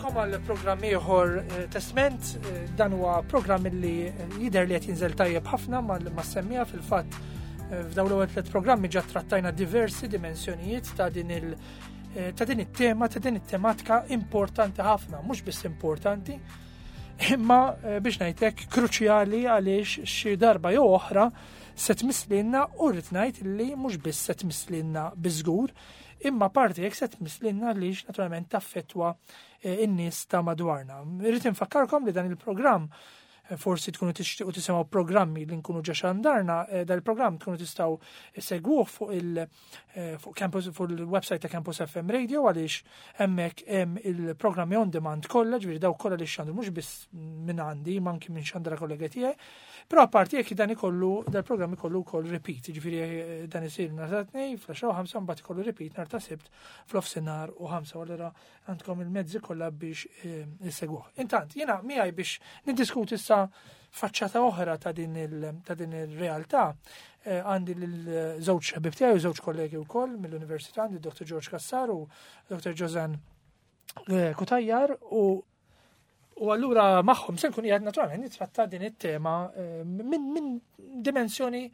Nilqakom għal programm ieħor eh, Testment, eh, dan huwa programm li jidher li qed jinżel tajjeb ħafna mas-semmija fil-fatt eh, f'dawn l-ewwel tliet programmi ġa trattajna diversi dimensjonijiet ta' din il- ta' din it-tema, ta' din it-tematika importanti ħafna, mhux biss importanti, imma biex ngħidlek kruċjali għaliex xi darba jew oħra se tmisslilna u rrid ngħid li mhux biss se tmisslilna biżgur, imma parti jekk se tmisslilna għaliex naturalment taffettwa eh, in-nies ta' madwarna. Irrid infakkarkom li dan il-programm eh, forsi tkunu tixtiequ tisimgħu programmi li nkunu ġa xandarna, eh, dan il-programm tkunu tistgħu segwuh fuq il- fuq campus fuq il-website ta' Campus FM Radio għaliex hemmhekk hemm il-programmi on demand kollha, ġifieri dawk kollha li xandru mhux biss minn għandi, ma anki minn xandra kollega tiegħi. Però apparti jekk dan ikollu dal-programm ikollu wkoll repeat, ġifieri eh, dan isir nhar ta' tnej fl-10 u 5 mbagħad ikollu repeat nhar ta' sibt fl-ofsinhar u 5 allura għandkom il-mezzi kollha biex eh, issegwuh. Intant, jiena miegħi biex niddiskuti issa faċċata oħra ta' din il-realtà eh, għandi l-żewġ ħbib tiegħi u żewġ kollegi wkoll mill-Università għandi Dr. George Kassar u Dr. Josan eh, Kutajjar u U allura magħhom se nkun qiegħed naturalment nittratta din it-tema eh, minn min dimensjoni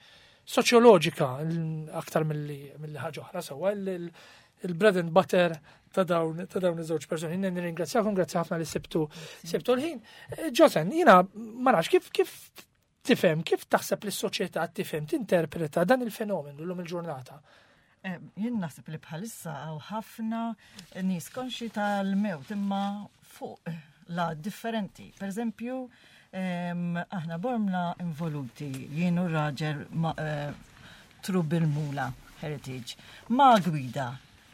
soċjoloġika aktar mill-li ħaġa oħra sewwa il-bread and butter ta' dawn ta' dawn iż-żewġ persuni. Nirringrazzjakom, grazzi ħafna li sibtu sibtu l-ħin. Eh, Josen, jiena ma nafx kif kif tifhem, kif taħseb li s-soċjetà tifhem tinterpreta dan il-fenomenu llum il-ġurnata? Eh, jien naħseb li bħalissa hawn ħafna nies konxi tal-mewt imma fuq la differenti. Per eżempju, aħna bormla involuti jien u raġel eh, True bil-Mula Heritage ma' gwida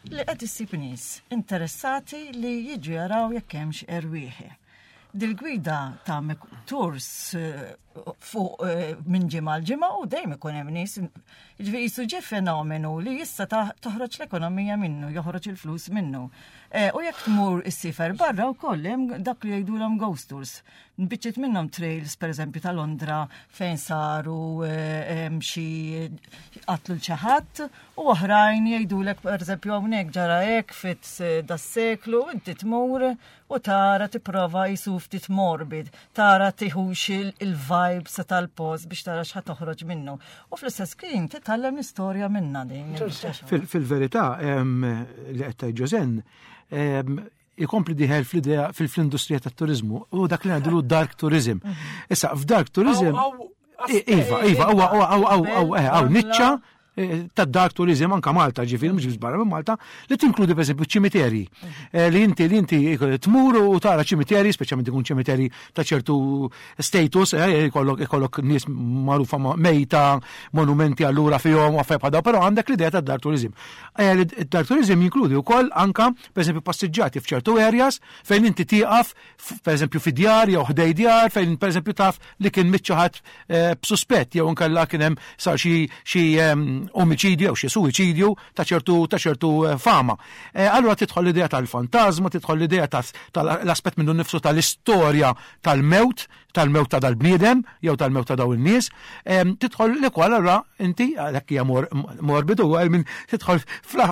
li qed issib nies interessati li jiġu jaraw jekk hemmx erwieħ. Dil-gwida tagħmel tours eh, fuq eh, minn ġimgħa l ġimgħa u dejjem ikun hemm nies. Jiġifieri jisu ġie fenomenu li issa toħroġ l-ekonomija minnu, joħroġ il-flus minnu. Eh, u jekk tmur issifer barra wkoll hemm dak li jgħidulhom ghost tours. Biċċiet minnhom trails pereżempju ta' Londra fejn saru eh, xi qatlu l xi ħadd u oħrajn jgħidulek pereżempju hawnhekk ġara hekk fit eh, das-seklu inti tmur u tara tipprova jisu ftit morbid, tara tiħux il-vibes tal-post biex tara x'ħa toħroġ minnu. U fl-istess kien titgħallem l-istorja minna din. Fil-verità li qed tgħid Ġożen, ikompli diħel fl-idea fil-industrija tat-turizmu u dak li ngħidulu dark tourism. Mhm. Issa f'dark tourism Iva, iva, huwa huwa hawn niċċa eh, ta' dark tourism anka Malta ġifieri mhux biss barra minn Malta li tinkludi pereżempju ċimiterji. Mhm. Eh, li inti li inti tmur u tara ċimiterji, speċjalment ikun ċimiterji ta' ċertu status, eh, ikollok ikollok nies magħrufa mejta, monumenti allura fihom u affarijiet bħal però għandek l-idea ta' dark tourism. Dark tourism jinkludi wkoll anka pereżempju passiġġati f'ċertu areas fejn inti tieqaf pereżempju fi djar jew ħdej djar fejn pereżempju taf li kien mitt xi ħadd eh, b'suspett jew inkella kien hemm sar xi xi ehm, omiċidju jew xi suwiċidju ta' ċertu ta' ċertu eh, fama. Eh, allura tidħol l-idea tal-fantażma, tidħol l-idea tal-aspett minnu nnifsu tal-istorja tal-mewt tal-mewt ta' dal-bniedem jew tal-mewt ta' daw in-nies, tidħol li kwal allura inti għalhekk hija morbidu minn tidħol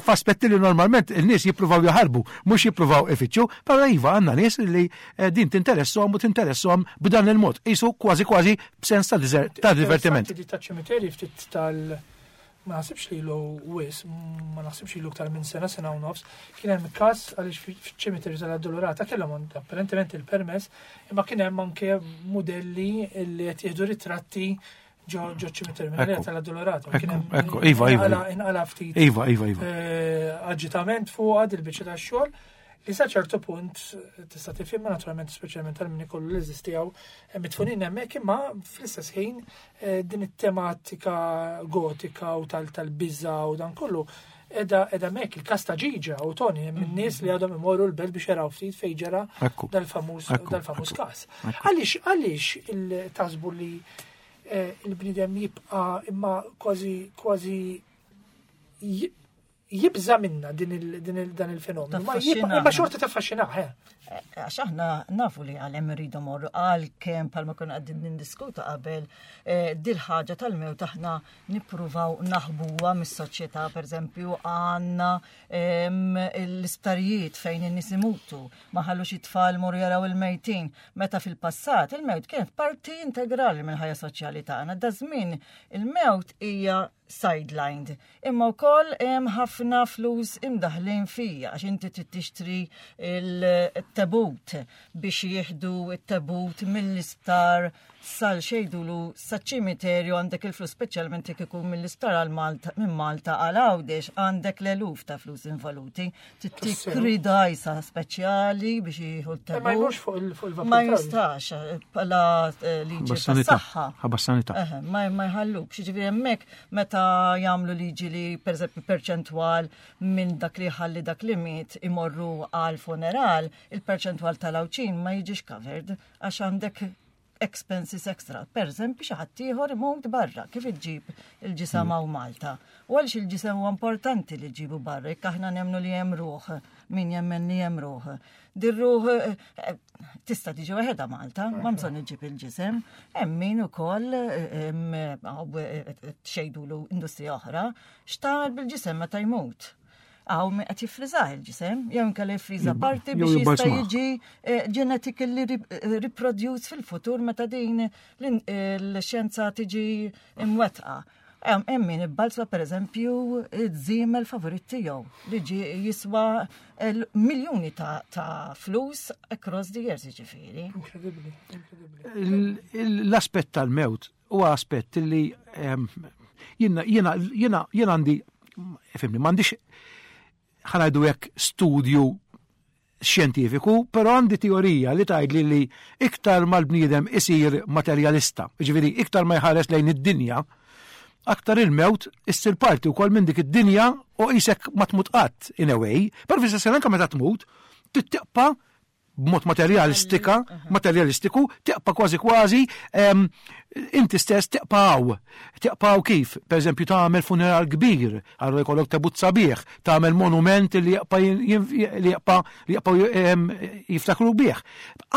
f'aspetti li normalment in-nies jippruvaw jaħarbu, mhux jippruvaw ifittxu, però iva għandna nies li eh, din tinteresshom u tinteresshom b'dan il-mod, qisu kważi kważi b'sens ta' divertiment. Ta' ċimiteri ftit tal ma naħsibx li ilu wis, ma naħsibx ilu iktar minn sena, sena u nofs, kien hemm każ għaliex fiċ-ċimiterju tal-Addolorata kellhom apparentement il-permess, imma kien hemm anke mudelli li qed jieħdu ritratti ġo ċimiterju minn tal-Addolorata. Ekku, iva, iva. Inqala ftit. Iva, iva, iva. Eh, aġitament fuq għad il-biċċa tax-xogħol li sa ċertu punt tista' tifhimha naturalment speċjalment tal min ikollu l-eżis tiegħu eh, mitfunin hemmhekk imma fl-istess ħin eh, din it-tematika gotika u tal-biża u dan kollu edha edha mek il-kas ta' Ġiġa u Tony minn mhm. nies li għadhom imorru l-belt biex jaraw ftit fejn ġara dal-famuż dal-famuż każ. Għaliex għaliex il-tasbu li eh, il-bniedem jibqa' imma kważi kważi Jibża minna din dan il-fenomenu. Ma xorta taffaxxinah, eh. eh. Għax aħna nafu li għalem rridu morru għal kemm palma konna għaddin nindiskuta qabel eh, dil-ħaġa tal-mewt aħna nippruvaw naħbuha mis-soċjetà, pereżempju għandna l-isptarijiet fejn in-nies imutu, ma ħallux it-tfal morru jaraw il-mejtin. Meta fil-passat il-mewt kienet parti integrali mill-ħajja soċjali tagħna. Da żmien il-mewt hija sidelined. Imma wkoll hemm ħafna flus imdaħlin fija għax inti trid tixtri il-tebut biex jieħdu it-tebut mill-isptar sal xejdulu saċ-ċimiterju għandek il-flus speċjalment jekk ikun mill-isptar għal Malta minn Malta għal Għawdex għandek l-eluf ta' flus involuti. Tikri dajsa speċjali biex jieħu t-tebut. Ma jmurx fuq il-vapur. Ma jistax eh, bħala eh, liġi tas-saħħa. Ħabba sanità. Ma jħalluk. Ġifieri hemmhekk meta jagħmlu liġi li pereżempju perċentwal minn dak li ħalli dak li miet imorru għal funeral, il-perċentwal tal-Għawdxin ma jiġix covered għax għandek expenses extra. Per eżempju, xi ħadd ieħor imut barra, kif iġġib il-ġisem hawn Malta. U għaliex il-ġisem huwa importanti li ġibu barra, jekk aħna nemmnu li hemm ruħ, min jemmen li hemm ruħ. Dir-ruħ eh, eh, tista' tiġi waħedha Malta, ma bżonn iġib il-ġisem. Hemm min ukoll eh, xejdulu industrija oħra, x'tagħmel bil-ġisem meta jmut. Għaw min qed jiffriżah il-ġisem, jew inkella jiffriża parti biex jista' jiġi eh, genetically eh, reproduce fil-futur meta din l-xjenza tiġi imwettqa. Hemm min ibbalzwa pereżempju iż-żiemel favorit tiegħu li ġi jiswa miljuni ta' flus across the years jiġifieri. Inkredibbli, inkredibbli. L-aspett tal-mewt huwa aspett li ehm, jiena jiena jiena jiena għandi fimni m'għandix ħanajdu hekk studju xjentifiku, però għandi teorija li tgħidli li iktar mal-bniedem isir materjalista, ġifieri iktar ma jħares lejn id-dinja, aktar il-mewt issir parti wkoll minn dik id-dinja u qisek ma tmut qatt in a way, però fl-istess anke meta tmut, tittiqpa' b'mod materjalistika, materjalistiku, teqpa kważi kważi inti stess teqpaw. Teqpaw kif? Per eżempju, tagħmel funeral kbir, allura jkollok tebut sabiħ, tagħmel monument li jaqpa li jaqpa li jaqpa jiftakru bih.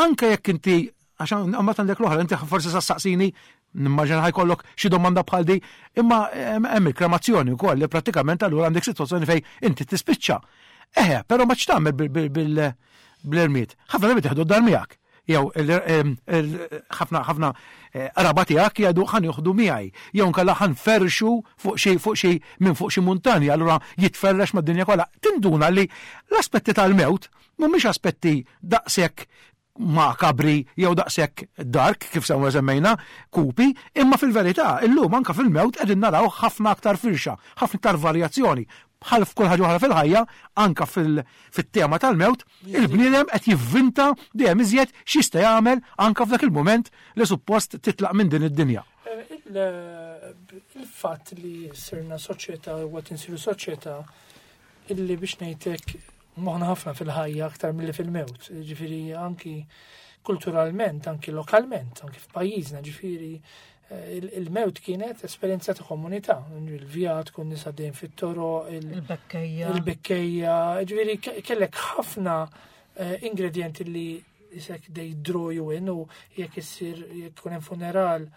Anke jekk inti għax mbagħad għandek l-oħra, inti forsi saqsini nimmaġina ħajkollok xi domanda bħal di, imma hemm il-kremazzjoni wkoll li prattikament allura għandek sitwazzjoni fejn inti tispiċċa. Eħe, però ma x'tagħmel bl-irmied. Ħafna drabi teħdu d-dar miegħek. Jew ħafna ħafna eh, qraba tiegħek jgħidu ħan joħdu miegħi. Jew nkella ħan ferxu fuq xi fuq xi minn fuq xi muntanja, allura jitferrex mad-dinja kollha. Tinduna li l-aspetti tal-mewt mhumiex aspetti daqshekk makabri jew daqshekk dark kif semma semmejna kupi, imma fil-verità illum anka fil-mewt qegħdin naraw ħafna aktar firxa, ħafna aktar varjazzjoni. Bħal f'kull ħaġa oħra fil-ħajja, anka fit-tema tal-mewt, il-bniedem qed jivvinta dejjem iżjed x'jista' jagħmel anka f'dak il-mument li suppost titlaq minn din id-dinja. Il-fatt li sirna soċjetà u qed insiru soċjetà illi biex ngħidlek moħna ħafna fil-ħajja aktar milli fil-mewt. Ġifieri anki kulturalment, anki lokalment, anki f'pajjiżna, ġifieri eh, il-mewt kienet esperjenza ta' komunità. Il-vjat kun nisa dejjem fit-toro, il-bekkejja. Il-bekkejja, ġifieri kellek ħafna eh, ingredienti li jisek they draw you in u jekk issir jekk ikun hemm funeral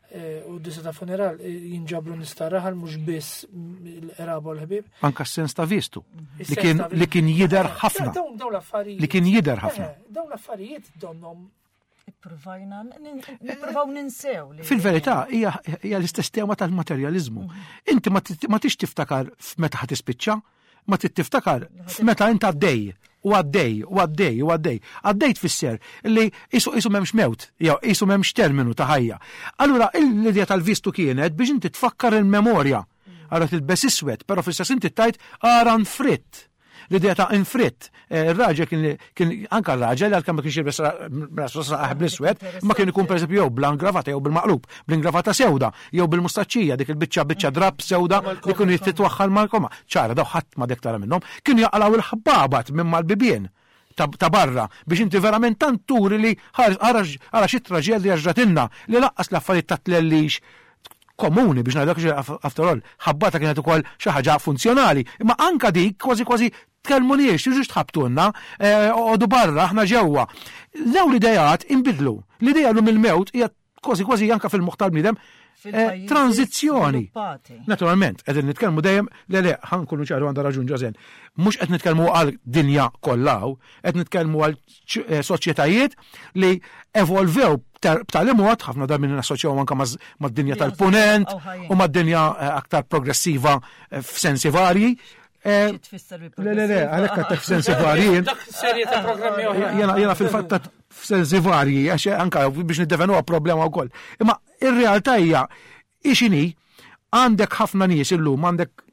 eh, u disa ta' funeral eh, jinġabru nista' raħal mhux biss l-qraba u l-ħbieb. Anka s-sens ta' vistu li kien li kien jider eh, ħafna. Dawn l-affarijiet. Li kien jider ħafna. Dawn l-affarijiet donhom Ippruvajna, nippruvaw ninsew. Fil-verità, hija l-istess tema tal-materjalizmu. Mhm. Inti ma tix tiftakar f'meta ħa tispiċċa, ma trid tiftakar f'meta int għaddej u għaddej u għaddej u għaddej. Għaddej tfisser li isu isu m'hemmx mewt, jew isu m'hemmx terminu ta' ħajja. Allura l-idea tal-vistu kienet biex inti tfakkar il-memorja. Allura tilbes iswed, però fl-istess inti tajt ara nfritt. L-idea ta' infritt. Eh, il-raġel kien kien anka r-raġel għalkemm ma kienx jilbes rasu saqaħ bl-iswed, ma kien ikun pereżempju jew bl-angravata jew bil-maqlub, bl-ingravata sewda, jew bil-mustaċċija dik il-biċċa biċċa drab sewda li kienu jitwaħħal mal-koma. Ċara daw ħadd ma dek tara minnhom, kienu jaqalgħu il-ħbabat minn mal-bibien ta' barra biex inti verament tant turi li ara xi traġedja ġratilna li laqqas l-affarijiet ta' tlellix. komuni biex ngħidlek after all, ħabbata kienet ukoll xi ħaġa funzjonali, imma anka dik kważi kważi tkellmuniex, tiġux tħabbtulna, eh, oqogħdu barra, aħna ġewwa. Dawn l-idejat inbidlu. L-idea llum il-mewt hija kważi kważi anka fil-moħħ tal-bniedem eh, tranzizzjoni. Naturalment, qegħdin nitkellmu dejjem le le ħankunu ċaru għandha raġun Ġożen. Mhux qed nitkellmu għal dinja kollha qed nitkellmu għal eh, soċjetajiet li evolvew b'tali mod, ħafna drabi nassoċjaw anka mad-dinja tal-punent u mad-dinja eh, aktar progressiva f'sensi varji. Le, le, le, għalhekk għattek f'sensi varji. Dak serje ta' programmi oħra. Jena fil-fatt f'sensi varji, għax anka biex niddefenu problema wkoll. Imma ir-realtà hija ixini għandek ħafna nies illum, għandek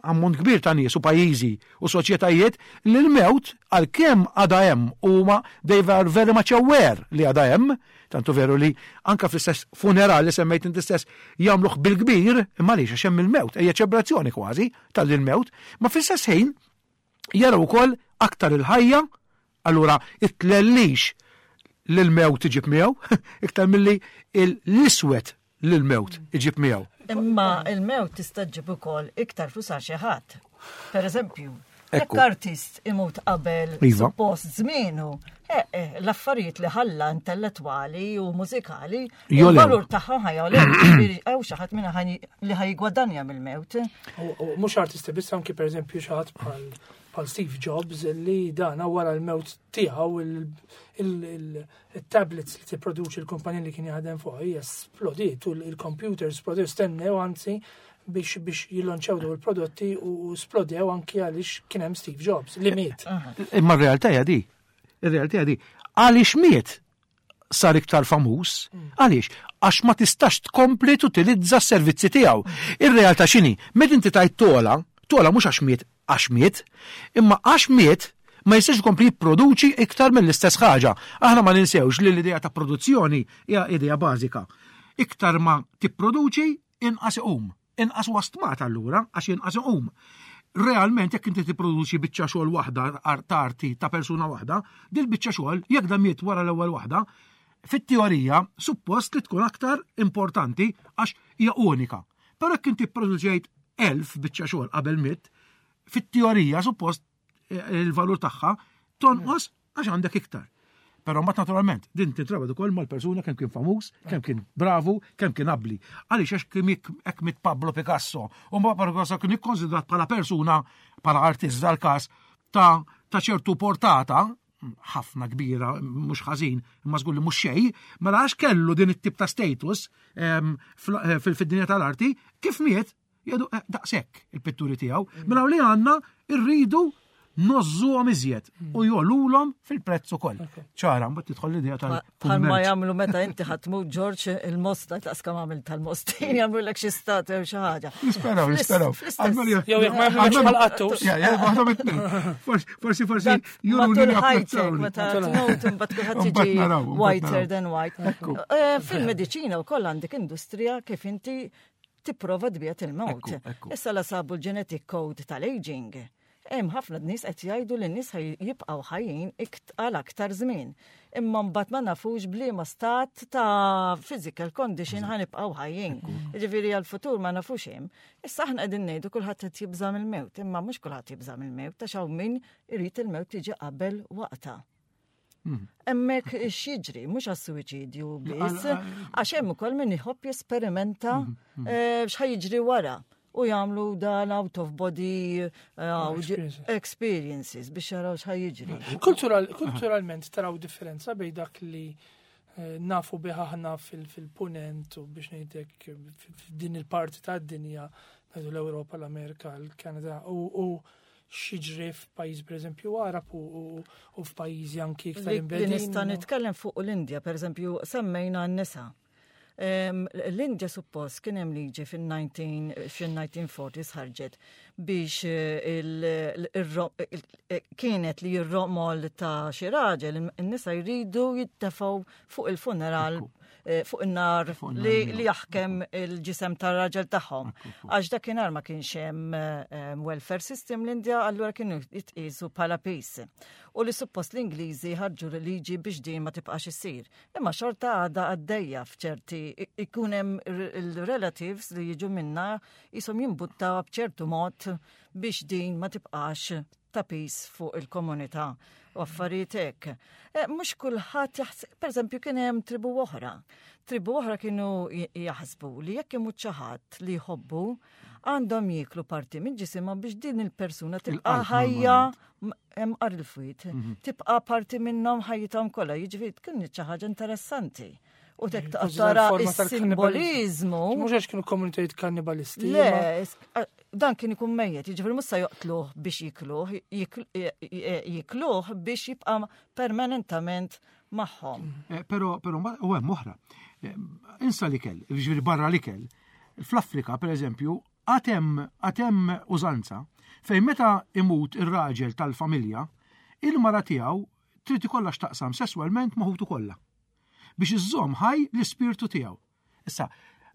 ammont kbir ta' nies u pajjiżi u soċjetajiet li l-mewt għalkemm għadha hemm huma they are very much aware li għadha hemm, tantu veru li anka fl-istess funeral li semmejt inti stess jagħmluh bil-kbir, imma għaliex għax hemm il-mewt, hija ċelebrazzjoni kważi tal-mewt, ma fl-istess ħin jaraw ukoll aktar il-ħajja, allura it-tlellix li l-mewt iġib miegħu, iktar milli l-iswed li l-mewt iġib miegħu. Imma il-mewt tista' ġġib ukoll iktar flus għal xi ħadd. Per eżempju, jekk artist imut qabel iva. suppost żmienu, eh, eh, l-affarijiet li ħalla intellettwali u mużikali, il-valur tagħhom ħajjolew, hawn xi ħadd minna li ħajgwadanja mill-mewt. Mhux artisti biss anki pereżempju xi ħadd bħal bħal Steve Jobs li dana wara l-mewt tiegħu il-tablets li tipproduċi l-kumpanija li kien jaħdem fuq hija splodiet u l-computers splodew stennew anzi biex biex jillonċaw daw il-prodotti u splodew anki għaliex kien hemm Steve Jobs li miet. Imma r-realtà hija di. Ir-realtà hija di. Għaliex miet sar iktar famuż. Għaliex? Għax ma tistax tkompli tutilizza s-servizzi tiegħu. Ir-realtà x'inhi? Meta inti tajt tola, tola mhux għax miet għax miet, imma għax miet ma jistax ikompli jipproduċi iktar mill-istess ħaġa. Aħna ma ninsewx li l-idea ta' produzzjoni hija idea bażika. Iktar ma tipproduċi, inqas iqum. Inqas huwa stmat allura għax inqas iqum. Realment jekk inti tipproduċi biċċa xogħol waħda ta' arti ta' persuna waħda, dil biċċa xogħol jekk dan miet wara l-ewwel waħda, fit-teorija suppost li tkun aktar importanti għax hija unika. Però jekk inti pproduċejt 1000 biċċa xogħol qabel mitt, fit-teorija suppost eh, il-valur tagħha tonqos għax għandek iktar. Però mbagħad naturalment din tintrabat ukoll mal-persuna kemm kien famuż, kemm kien bravu, kemm kien abbli. Għaliex għax kien hekk mit Pablo Picasso u ma Pablo Picasso kien ikkonsidrat bħala persuna bħala artist dal-każ ta' ta' ċertu portata, ħafna kbira, mhux ħażin, imma żgur li mhux xejn, mela għax kellu din it-tip ta' status ehm, eh, fil-dinja tal-arti, kif miet, jgħidu eh, daqshekk il-pitturi tiegħu. Mela li għandna rridu nozzu għom iżjed u jolulhom fil-prezz ukoll. Ċara, mbagħad tidħol l-idea tal Bħal ma jagħmlu meta inti ħatmu Ġorġ il-mosta taqs kemm għamil tal-mostin jagħmlu lek xi statwa jew xi ħaġa. Nisperaw, nisperaw. Jew jekk ma jagħmlux bħal qattus. Forsi forsi juru li ħajtek meta tmut imbagħad kulħadd jiġi whiter than white. Eh, fil-mediċina wkoll għandek industrija kif inti tipprova tbiet il-mewt. Issa la sabu l-genetic code tal-aging. Hemm ħafna nies qed jgħidu li n-nies jibqgħu ħajjin għal aktar żmien. Imma mbagħad ma nafux b'liema stat ta' physical condition ħa nibqgħu ħajjin. Jiġifieri għall-futur ma nafux hemm. Issa aħna qegħdin ngħidu kulħadd qed jibża' mill-mewt, imma mhux kulħadd jibża' mill-mewt għax hawn min irid il-mewt tiġi qabel waqtha. Hmm. Hemmhekk x'jiġri, mhux għas-suwiċidju biss, għax hemm ukoll min iħobb jesperimenta hmm, hmm. eh, x'ħa jiġri wara u jagħmlu dan out of body eh, experiences biex jaraw x'ħa jiġri. Kulturalment taraw differenza bejn dak li eh, nafu bih aħna fil-punent u biex ngħidlek f'din il-parti tad-dinja, l-Ewropa, l-Amerika, l-Kanada u x'jiġri f'pajjiż pereżempju Arab u f'pajjiżi anki iktar imbegħdin. Nista' nitkellem fuq l-Indja, pereżempju semmejna n-nisa. L-Indja suppost kien hemm liġi fin-1940s ħarġet. biex eh, eh, kienet li r-romol ta' xi raġel in-nisa jridu jittefgħu fuq il-funeral eh, fuq in-nar li jaħkem il-ġisem tar-raġel tagħhom. Għax dakinhar ma kienx hemm welfare system l-Indja, allura kienu jitqisu bħala pis. U li suppost l-Ingliżi ħarġu liġi biex din ma tibqax issir. Imma xorta għadha għaddejja f'ċerti ikun hemm il-relatives li jiġu minna jisom jimbuttaw b'ċertu mod biex din ma tibqax ta' pis fuq il-komunità u affarijiet hekk. E, mhux kulħadd jaħseb, pereżempju kien hemm tribu oħra. Tribu oħra kienu jaħsbu li jekk imut xi ħadd li jħobbu għandhom jieklu parti minn ġisimhom biex din il-persuna tibqa' ħajja hemm qar il-fwiet, mhm. tibqa' parti minnhom ħajjithom kollha, jiġifieri tkun xi ħaġa interessanti. U tek tara is-simbolizmu. Mhux għax kienu komunitajiet kannibalisti. Le, dan kien ikun mejjet, jiġifieri mhux se joqtluh biex jikluh, jikluh biex jibqa' permanentament magħhom. Eh, però, però, u hemm oħra. Eh, insa l-ikel, jiġifieri barra l-ikel. Fl-Afrika, per eżempju, Għad hemm għad hemm użanza fejn meta imut ir-raġel tal-familja, il-mara tiegħu trid ikollha x'taqsam sesswalment ma' ħutu kollha biex iżżomm ħaj l-ispirtu tiegħu. Issa,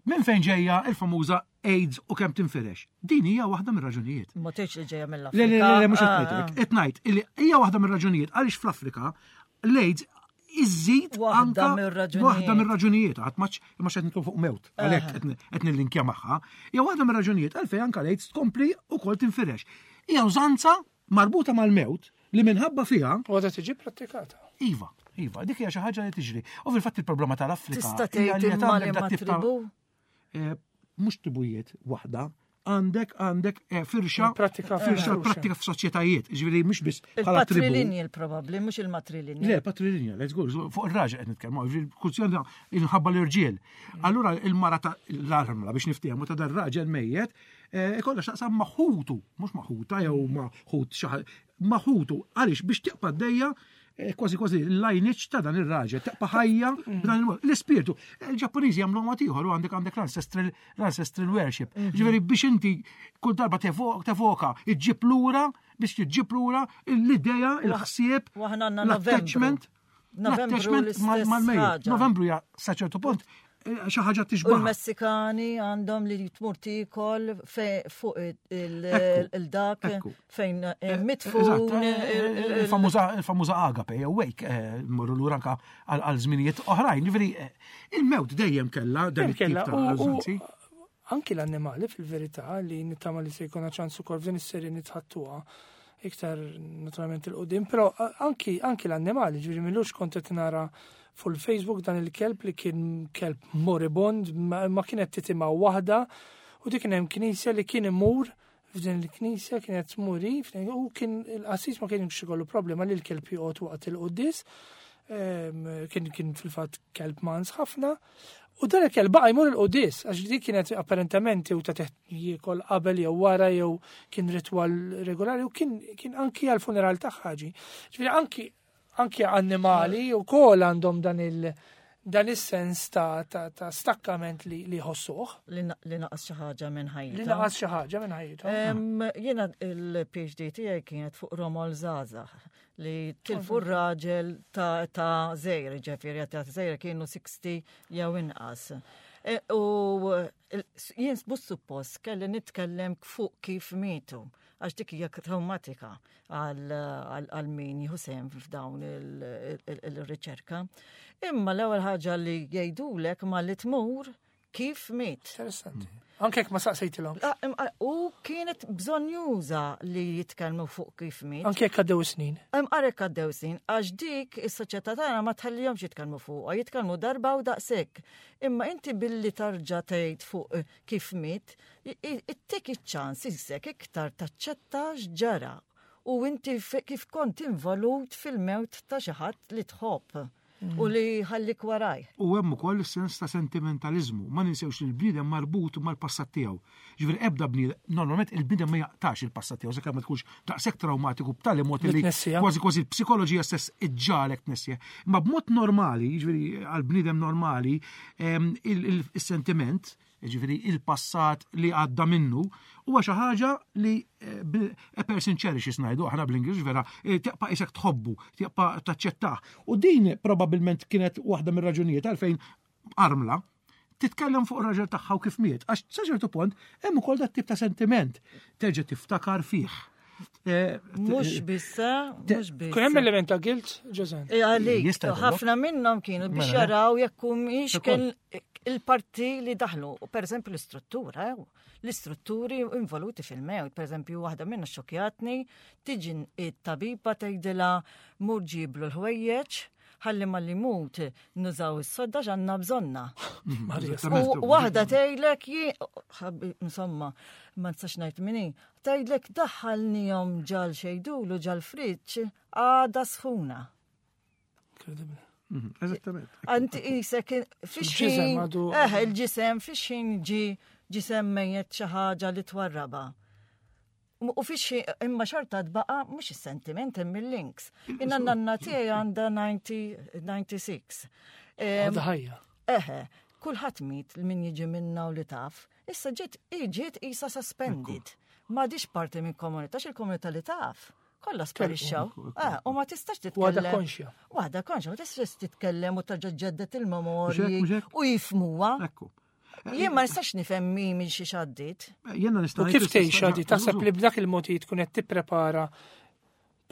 minn fejn ġejja l-famuża AIDS u kemm tinfirex? Din hija waħda mir-raġunijiet. Ma tgħidx li ġejja mill-Afrika. Le, le, le, mhux qed ngħidlek. Ah, ah. Qed ngħid illi hija waħda mir-raġunijiet għaliex fl-Afrika l-AIDS iżżid waħda mir-raġunijiet. Waħda mir-raġunijiet, għad maċ imma xed nitkellmu fuq mewt, għalhekk qed nillinkja magħha. Hija waħda mir-raġunijiet għalfejn anke l-AIDS tkompli wkoll tinfirex. Hija użanza marbuta mal-mewt li minħabba fiha. U għadha tiġi prattikata. Iva, iva, dik hija xi ħaġa li tiġri. U fil-fatt il-problema tal-Afrika. Tista' tgħid imma li ma tribu? Eh, mhux tribujiet waħda, għandek għandek eh, firxa pratika firxa pratika f'soċjetajiet, ġifieri mhux biss bħala tribu. Patrilinjal probabbli, mhux il-matrilinjal. Le, patrilinjal, let's go, fuq ir-raġel qed nitkellmu, ġifieri kwistjoni inħabba l-irġiel. Allura il-mara ta' l-armla biex niftehmu ta' dar raġel mejjet, eh, ikollha x'taqsam ma' ħutu, mhux ma' ħuta jew ma' ħut xi ma' ħutu, għaliex biex tibqa' dejja Eh, kważi kważi l-lineage ta' dan ir-raġel, taqpa ħajja mm. b'dan il-mod. L-ispirtu, il-Ġappuniżi jagħmlu mod ieħor u għandek għandek l-ancestral l-ancestral worship. Mhm. Ġifieri biex inti kull darba tevoka iġġib lura biex tiġġib lura l-idea, il-ħsieb, l-attachment. L-attachment mal-mejjet. Novembru ja sa ċertu punt xi ħaġa tixbah. U l-Messikani għandhom li tmur tikol fuq il-dak fejn eh, eh, mitfun. Eh, il-famuża agape, jew wake, morru lura anka għal żminijiet oħrajn. Ġifieri il-mewt dejjem kellha dan it-tip ta' Anki l-annimali fil-verità li nittama li se jkun ċans ukoll f'din is-serje nitħattuha iktar naturalment il-qudiem, però anki anki l-annimali, ġifieri milux kont qed nara fuq il-Facebook dan il-kelb li kien kelb moribond ma kienet titimgħu waħda u dik kien hemm knisja li kien imur f'din il-knisja kienet tmuri u kien il-qassis ma kienx ikollu problema li l-kelb joqgħod waqt il-quddies ehm, kien kien fil-fatt kelb mans ħafna u dan il-kelb baqa' jmur il-quddies għax dik kienet apparentement jew ta' teħt jiekol qabel jew wara jew kien ritwal regolari u kien kien anki għal-funeral tagħha ġi. Ġifieri anki Anki annimali u kol għandhom dan il- dan is-sens ta', ta, ta stakkament li, li jħossuh. Li naqas xi ħaġa minn ħajjithom. Li naqas xi ħaġa minn ħajjithom. Jiena il-PhD tiegħi kienet fuq romol żgħażagħ li tilfu r-raġel ta', ta żejr, ġifieri ta' żejr kienu 60 jew inqas. E, u jien mhux suppost kelli nitkellem fuq kif mietu għax dik hija traumatika għal min jieħu sehem f'dawn il-riċerka. Imma l-ewwel ħaġa li jgħidulek ma li tmur kif miet. Interessanti. Anke jekk ma saqsejtilhom. Ah, u kienet bżonjuża li jitkellmu fuq kif miet. Anke jekk għaddew snin. Imqar jekk għaddew snin, għax dik is-soċjetà tagħna ma tħallihomx jitkellmu fuqha, jitkellmu darba u daqshekk. Imma inti billi tarġa' tgħid fuq kif miet, ittik iċ-ċans isek iktar taċċetta x'ġara u inti kif kont involut fil-mewt ta' xi ħadd li tħobb u mm. li ħallik waraj. U hemm ukoll is-sens ta' sentimentaliżmu. Ma ninsewx li l-bniedem marbut mal-passat tiegħu. Ġifieri ebda bniedem, normalment il-bniedem ma jaqtax il-passat tiegħu sakemm ma tkunx daqshekk traumatiku b'tali mod li kważi kważi l-psikoloġija stess iġġalek tnessih. Imma b'mod normali, ġifieri għal bniedem normali, il-sentiment il Jiġifieri il-passat li għadda minnu huwa xi ħaġa li eh, a person cherishes ngħidu aħna bl-Ingliż vera, eh, tibqa' isek tħobbu, tibqa' taċċettah. U din probabbilment kienet waħda mir-raġunijiet għalfejn armla titkellem fuq raġel tagħha u kif miet, għax sa ċertu punt hemm ukoll dat tip ta' sentiment terġa' tiftakar fih. Eh, mhux bissa, mhux biss. Kun hemm element ta' guilt, Ġożen. Eh, għalik, ħafna minnhom kienu biex mela, jaraw jekk humiex kien il-parti li daħlu. Per eżempju l-istruttura, eh, l-istrutturi involuti fil-mewt. Per eżempju, waħda minna xokjatni, tiġi it-tabiba tgħidilha mur ġiblu l-ħwejjeġ, ħalli ma li mut nużaw is-sodda ġanna bżonna. U waħda tgħidlek insomma, ma nistax ngħid minni, Tgħidlek daħħalnihom ġal xejdulu ġal friġġ għada sħuna. Incredible. Mhm, eżattament. Anti isek fix-xejn. Eh, il-ġisem fix-xejn ġi ġisem mejjet xi ħaġa li twarraba. U fix imma xorta tbaqa mhux is-sentiment hemm il-links. Inna nanna tiegħi għandha 96. Għadha ħajja. Eħe, kulħadd miet min jiġi minna u li taf. Issa ġiet ġiet isa suspended. M'għadix parti minn komunità, il-komunità li taf. Kollha sparixxew. Eh, u ma tistax titkellem. Waħda konxja. Waħda konxja, ma tistax titkellem u terġa' ġeddet il-memorji u jifmuha. Ekku. Jien ma nistax nifhem min minn xi xaddit. Jiena nista' U kif tgħix di taħseb li b'dak il-mod tkun qed tipprepara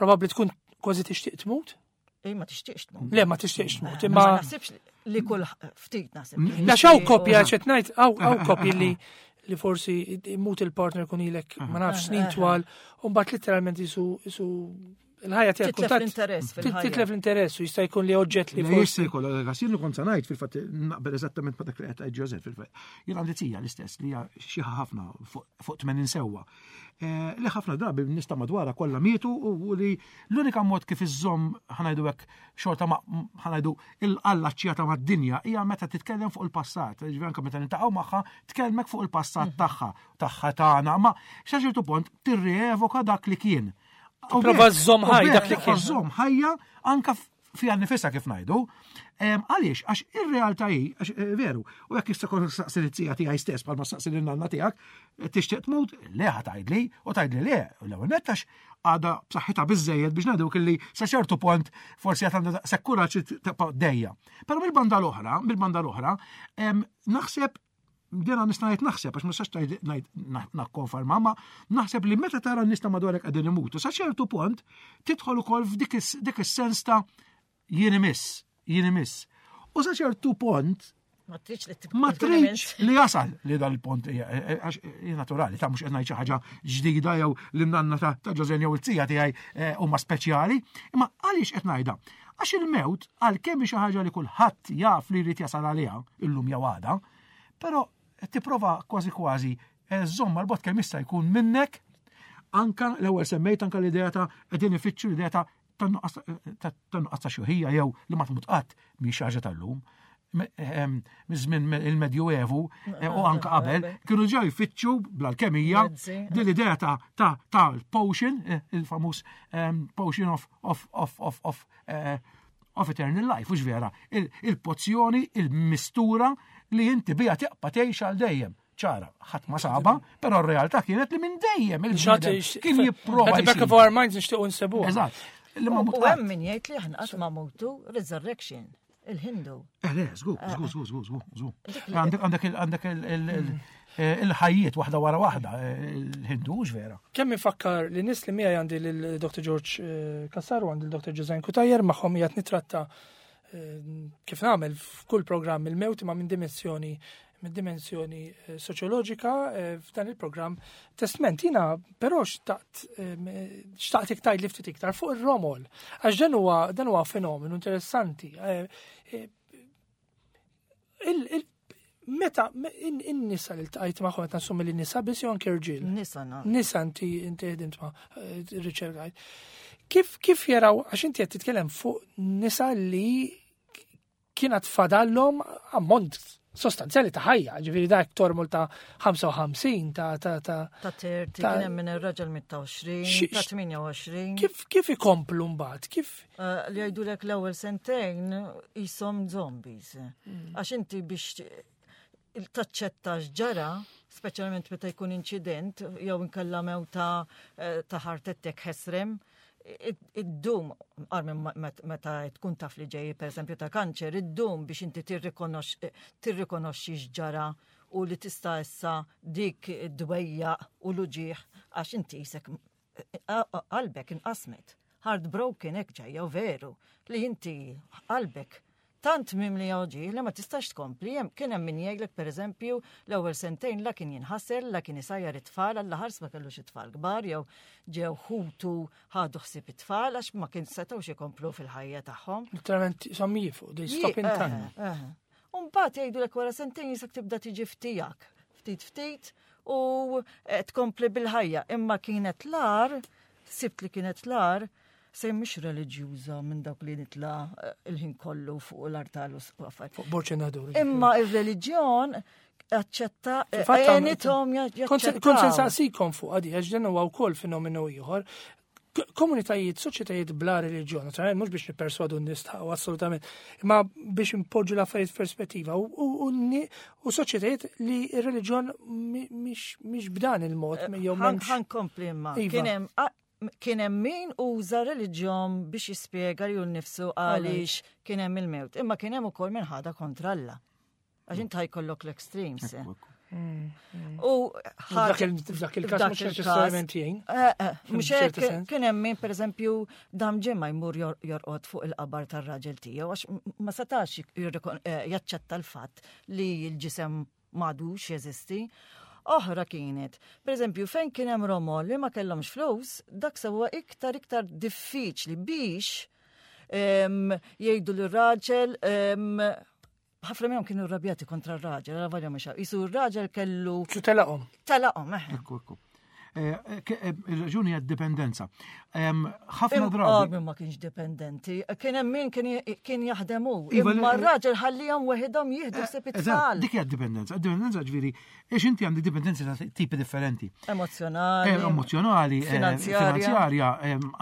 probabbli tkun kważi tixtieq tmut? Ej, ma tixtieqx tmut. Le, ma tixtieqx tmut, imma. Ma naħsibx li kull ftit naħseb. La xaw kopja ċet ngħid hawn hawn kopji li li forsi imut il-partner kun ilek ma nafx snin twal u mbagħad literalment isu isu il-ħajja tiegħek titlef l-interess fil-ħajja. Titlef l-interess u jista' jkun li oġġett li forsi. Jista' jkun għax jien kont se ngħid fil-fatt naqbel eżattament ma dak li qed tgħid Joseph fil-fatt. Jien għandi tija l-istess li hija xi ħafna fuq 80 sewwa. Eh, li ħafna drabi nista madwara kollha mietu u li l-unika mod kif iżżomm ħanajdu hekk xorta ma ħanajdu il-allaċċjata mad-dinja hija meta titkellem fuq il-passat. Ġifieri anke meta nintaqgħu magħha tkellmek fuq il-passat mhm. tagħha, tagħha tagħna, ma sa ċertu punt tirrievoka dak li kien. Prova żżomm ħaj dak li kien. Żomm ħajja anka fiha nifisha kif ngħidu. Għaliex, għax ir-realtà hi, għax eh, veru, u jekk jista' kont saqsi l-tija tiegħi stess bħalma saqsi lin-nanna tiegħek, eh, tixtieq tmut, le ħa tgħidli, u tgħidli le, l-ewwel nett għax għadha b'saħħitha biżejjed biex ngħidu kelli sa ċertu punt forsi qed għandha daqshekk kuraġġ tibqa' dejja. Però mill-banda l-oħra, mill-banda l-oħra, naħseb dina nista' ngħid naħseb għax ma nistax ngħid nakkonferma, ma naħseb li meta tara n-nies ta' madwarek qegħdin imutu, sa ċertu punt tidħol ukoll f'dik is-sens ta' jien imiss, jien imiss. U sa ċertu punt Ma tridx li Ma tridx li jasal li dal-punt eh, eh, għax eh, naturali ta' mhux qed ngħid xi ħaġa ġdida jew li nanna ta' Ġożen jew it-tija tiegħi huma speċjali, imma għaliex qed ngħidha? Għax il-mewt għalkemm xi ħaġa li kulħadd jaf li jrid jasal għaliha illum jew għada, però tipprova kważi kważi eh, żomm mal-bot kemm jista' jkun minnek anka l-ewwel semmejt anka l-idea ta' qegħdin ifittxu l-idea ta' tan-nuqqas ta' xuħija jew li ma tmut qatt mhix ħaġa tal-lum. Miż-żmien il-Medjuevu eh, u anka qabel kienu ġew jfittxu bl-alkemija din l-idea ta' ta' ta' potion, eh, il-famuż potion of of of of of eh, of eternal life, ux vera, il-pozzjoni, il-mistura li inti bija tiqpa tgħix għal dejjem. ċara, ħadd ma saba, però r-realtà kienet li minn dejjem il-bniedem kien jipprova. At the back of our minds nixtiequ nsebuha. Eżatt. U hemm min jgħid li aħna qatt ma mutu resurrection il-Hindu. Eh, le, żgur, eh. żgur, żgur, żgur, żgur. Għandek għandek għandek eh, il-ħajjiet waħda wara waħda, eh, il-Hindu vera. Kemm infakkar li nis li miegħi għandi lil Dr. George Kassar u għandi l-Dr. Ġużen Kutajer magħhom qiegħed nitratta kif nagħmel f'kull programm il-mewt ma' minn dimensjoni minn dimensjoni eh, soċjoloġika eh, f'dan il-programm Testment. Jina però xtaqt eh, xtaqt iktar li ftit iktar fuq ir-romol. Għax dan huwa dan huwa fenomenu interessanti. Meta in-nisa li ltqajt magħhom qed nassumi li nisa biss jew anke rġiel. Nisa Nisa inti inti ħdimt ma' riċerkajt. Kif kif jaraw għax inti qed titkellem fuq nisa li kienet fadallhom ammont sostanzjali ta' ħajja, ġifieri dak tormol ta' 55 ta' ta' ta' ta' 30, kien hemm minn ir-raġel mit ta' 20, ta' 28. Kif kif ikomplu mbagħad? Kif eh, li jgħidulek l-ewwel sentejn jisom zombies. Mm. Għax inti biex taċċetta x'ġara, speċjalment meta jkun inċident jew inkella mewta eh, ta' heart attack ħesrem, id-dum, armi meta tkun taf li ġej per eżempju ta' kanċer, id-dum biex inti tirrikonoxxi x'ġara u li tista' issa dik id-dwejja u l-uġieħ għax inti jisek qalbek inqasmet. Heartbroken hekk ġejja u veru li inti qalbek tant mimli uġigħ li ma tistax tkompli. Hemm kien hemm min jgħidlek pereżempju l-ewwel sentejn la kien jinħasel, la kien isajjar it-tfal, alla ħars ma kellux it-tfal kbar jew ġew ħutu ħadu ħsieb it-tfal għax ma kien setgħux ikomplu fil-ħajja tagħhom. Literalment som jifu, they stop in time. U mbagħad jgħidulek wara sentejn jisek tibda tiġi ftijak, ftit ftit u eh, tkompli bil-ħajja. Imma kienet lar, sibt li kienet lar, se mhix reliġjuża minn dawk li nitla eh, il-ħin kollu fuq l-artal u affarijiet. Fuq borċ nadur. Imma ir-reliġjon aċċetta eh, għenithom jaċċettaw. Kont se nsaqsikom fuq għadi, għax dan huwa wkoll fenomenu ieħor komunitajiet, soċjetajiet bla reliġjon, naturalment mhux biex nipperswadu n-nies u assolutament, imma biex impoġġu l-affarijiet f'perspettiva u soċjetajiet li r-reliġjon mhix b'dan il-mod eh, jew m'hemmx. Ħankompli imma. Iva. Kien hemm kien hemm min uża reliġjon biex jispjega li nnifsu għaliex kien hemm il-mewt, imma kien hemm ukoll min ħadha kontra Alla. Għax inti ħajkollok l-extremes. Eh. U f'dak il-każ mhux neċessarjament jgħin. Eh, eh, mhux hekk kien hemm min pereżempju dam ġimgħa jmur jorqod fuq il-qabar tar-raġel tiegħu għax ma setax jaċċetta l-fatt li l-ġisem m'għadux jeżisti. Oħra kienet, pereżempju fejn kien hemm romol li ma kellhomx flus, dak sewa iktar iktar diffiċli biex jgħidu l-raġel ħafna minnhom kienu rrabjati kontra r-raġel, għala valja mhux Isu r-raġel kellu. Xu telaqhom? Telaqhom, eħe. Ekku, ekku. Eh, eh, il-raġuni għad dipendenza. Ħafna drabi. Ma kienx dipendenti, kien hemm min kien jaħdem hu. Iva, imma r-raġel ħallihom weħidhom jieħdu eh, ħsieb it-tfal. Dik hija dipendenza. Dipendenza ġifieri, ix inti għandi dipendenza ta' tipi differenti. Emozjonali. Emozjonali, finanzjarja.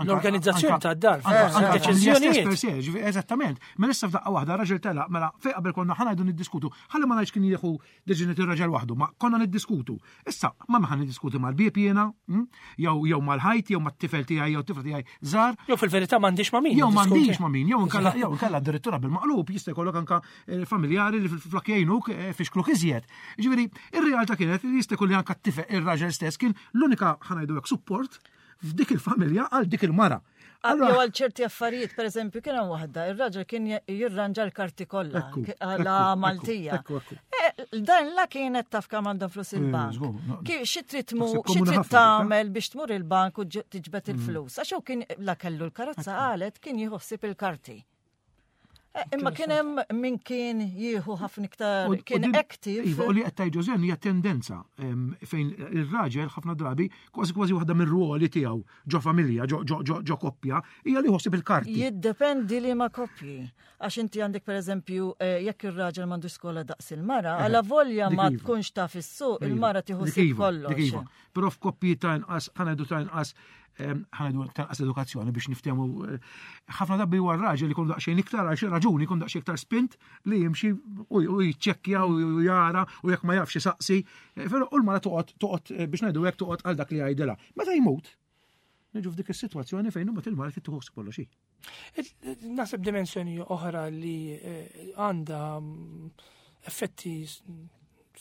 L-organizzazzjoni ta' dar, deċiżjonijiet. Eżattament. Mela issa f'daqqa waħda raġel telaq, mela fejn qabel konna ħa ngħidu niddiskutu, ħalli ma ngħidx kien jieħu deċiżjoni ir-raġel waħdu, ma konna niddiskutu. Issa ma ħa niddiskuti mal-bieb jiena, hm? jew jew mal-ħajt, jew mat-tifel tiegħi jew tifel tiegħi żgħar. Jew fil-verità m'għandix ma' min. Jew m'għandix ma' min, jew inkella jew inkella addirittura bil-maqlub jista' jkollok anka eh, familjari li flok jgħinuk eh, fixkluk iżjed. Ġifieri, ir-realtà kienet li jista' jkun li anka t-tifel ir-raġel stess kien l-unika ħa ngħidu hekk support f'dik il-familja għal dik il-mara. Jew għal ċerti affarijiet, per eżempju, kien hemm waħda, ir-raġel kien jirranġa l-karti kollha għala Maltija. Eh, dan la kienet taf kemm għandhom flus eh, il-bank. Xi trid xi trid tagħmel biex tmur il-bank u tiġbed mm. il-flus. Għax hu kien la kellu l-karozza qalet kien jieħu ħsieb il-karti. Eh, imma kien hemm min kien jieħu ħafna iktar kien active. Iva, u li qed tgħid Ġożen hija tendenza fejn ir-raġel ħafna drabi kważi kważi waħda mir-ruoli tiegħu ġo familja, ġo koppja, hija li ħossib il-karti. Jiddependi li ma koppji. Għax inti għandek pereżempju eh, jekk ir-raġel m'għandu skola daqs il-mara, eh, għala volja ma iva. tkunx taf is-suq, iva. il-mara tieħu kollox. Iva. Però f'koppji ta' inqas, ħanajdu ta' inqas ħanajdu tanqas edukazzjoni biex niftehmu eh, ħafna dabbi huwa r-raġel ikun daqsxejn iktar għal xi raġuni jkun daqsxejn iktar spint li jimxi u jiċċekkja u jara u jekk ma jafx isaqsi. Eh, però u l-mara toqgħod toqgħod eh, biex ngħidu hekk toqgħod għal dak li jgħidilha. Meta jmut, niġu f'dik is-sitwazzjoni fejn imbagħad il-mara trid tieħu kollox hi. Naħseb dimensjoni oħra li eh, għandha mm, effetti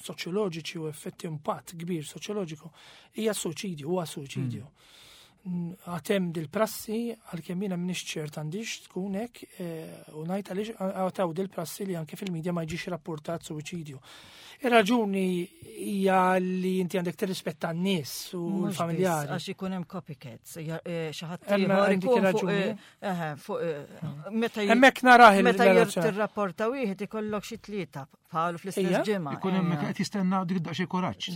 soċjoloġiċi u effetti impatt kbir soċjoloġiku hija suċidju, huwa suċidju. Mm. Għatem dil-prassi għalkemm jiena m'iniex ċert għandix tkun hekk eh, u ngħid għaliex għataw dil-prassi li anke fil-medja ma jġix rapportat suċidju. Ir-raġuni hija li inti għandek tirrispetta n-nies u l-familjari. Għax ikun hemm copycats, eh, xi ħadd ieħor ikun fuq eh, fuq eh, meta Hemmhekk narah meta tirrapporta wieħed ikollok xi tlieta bħalu fl-istess ġimgħa. Ikun hemm qed jistenna dik daqsxejn kuraġġ,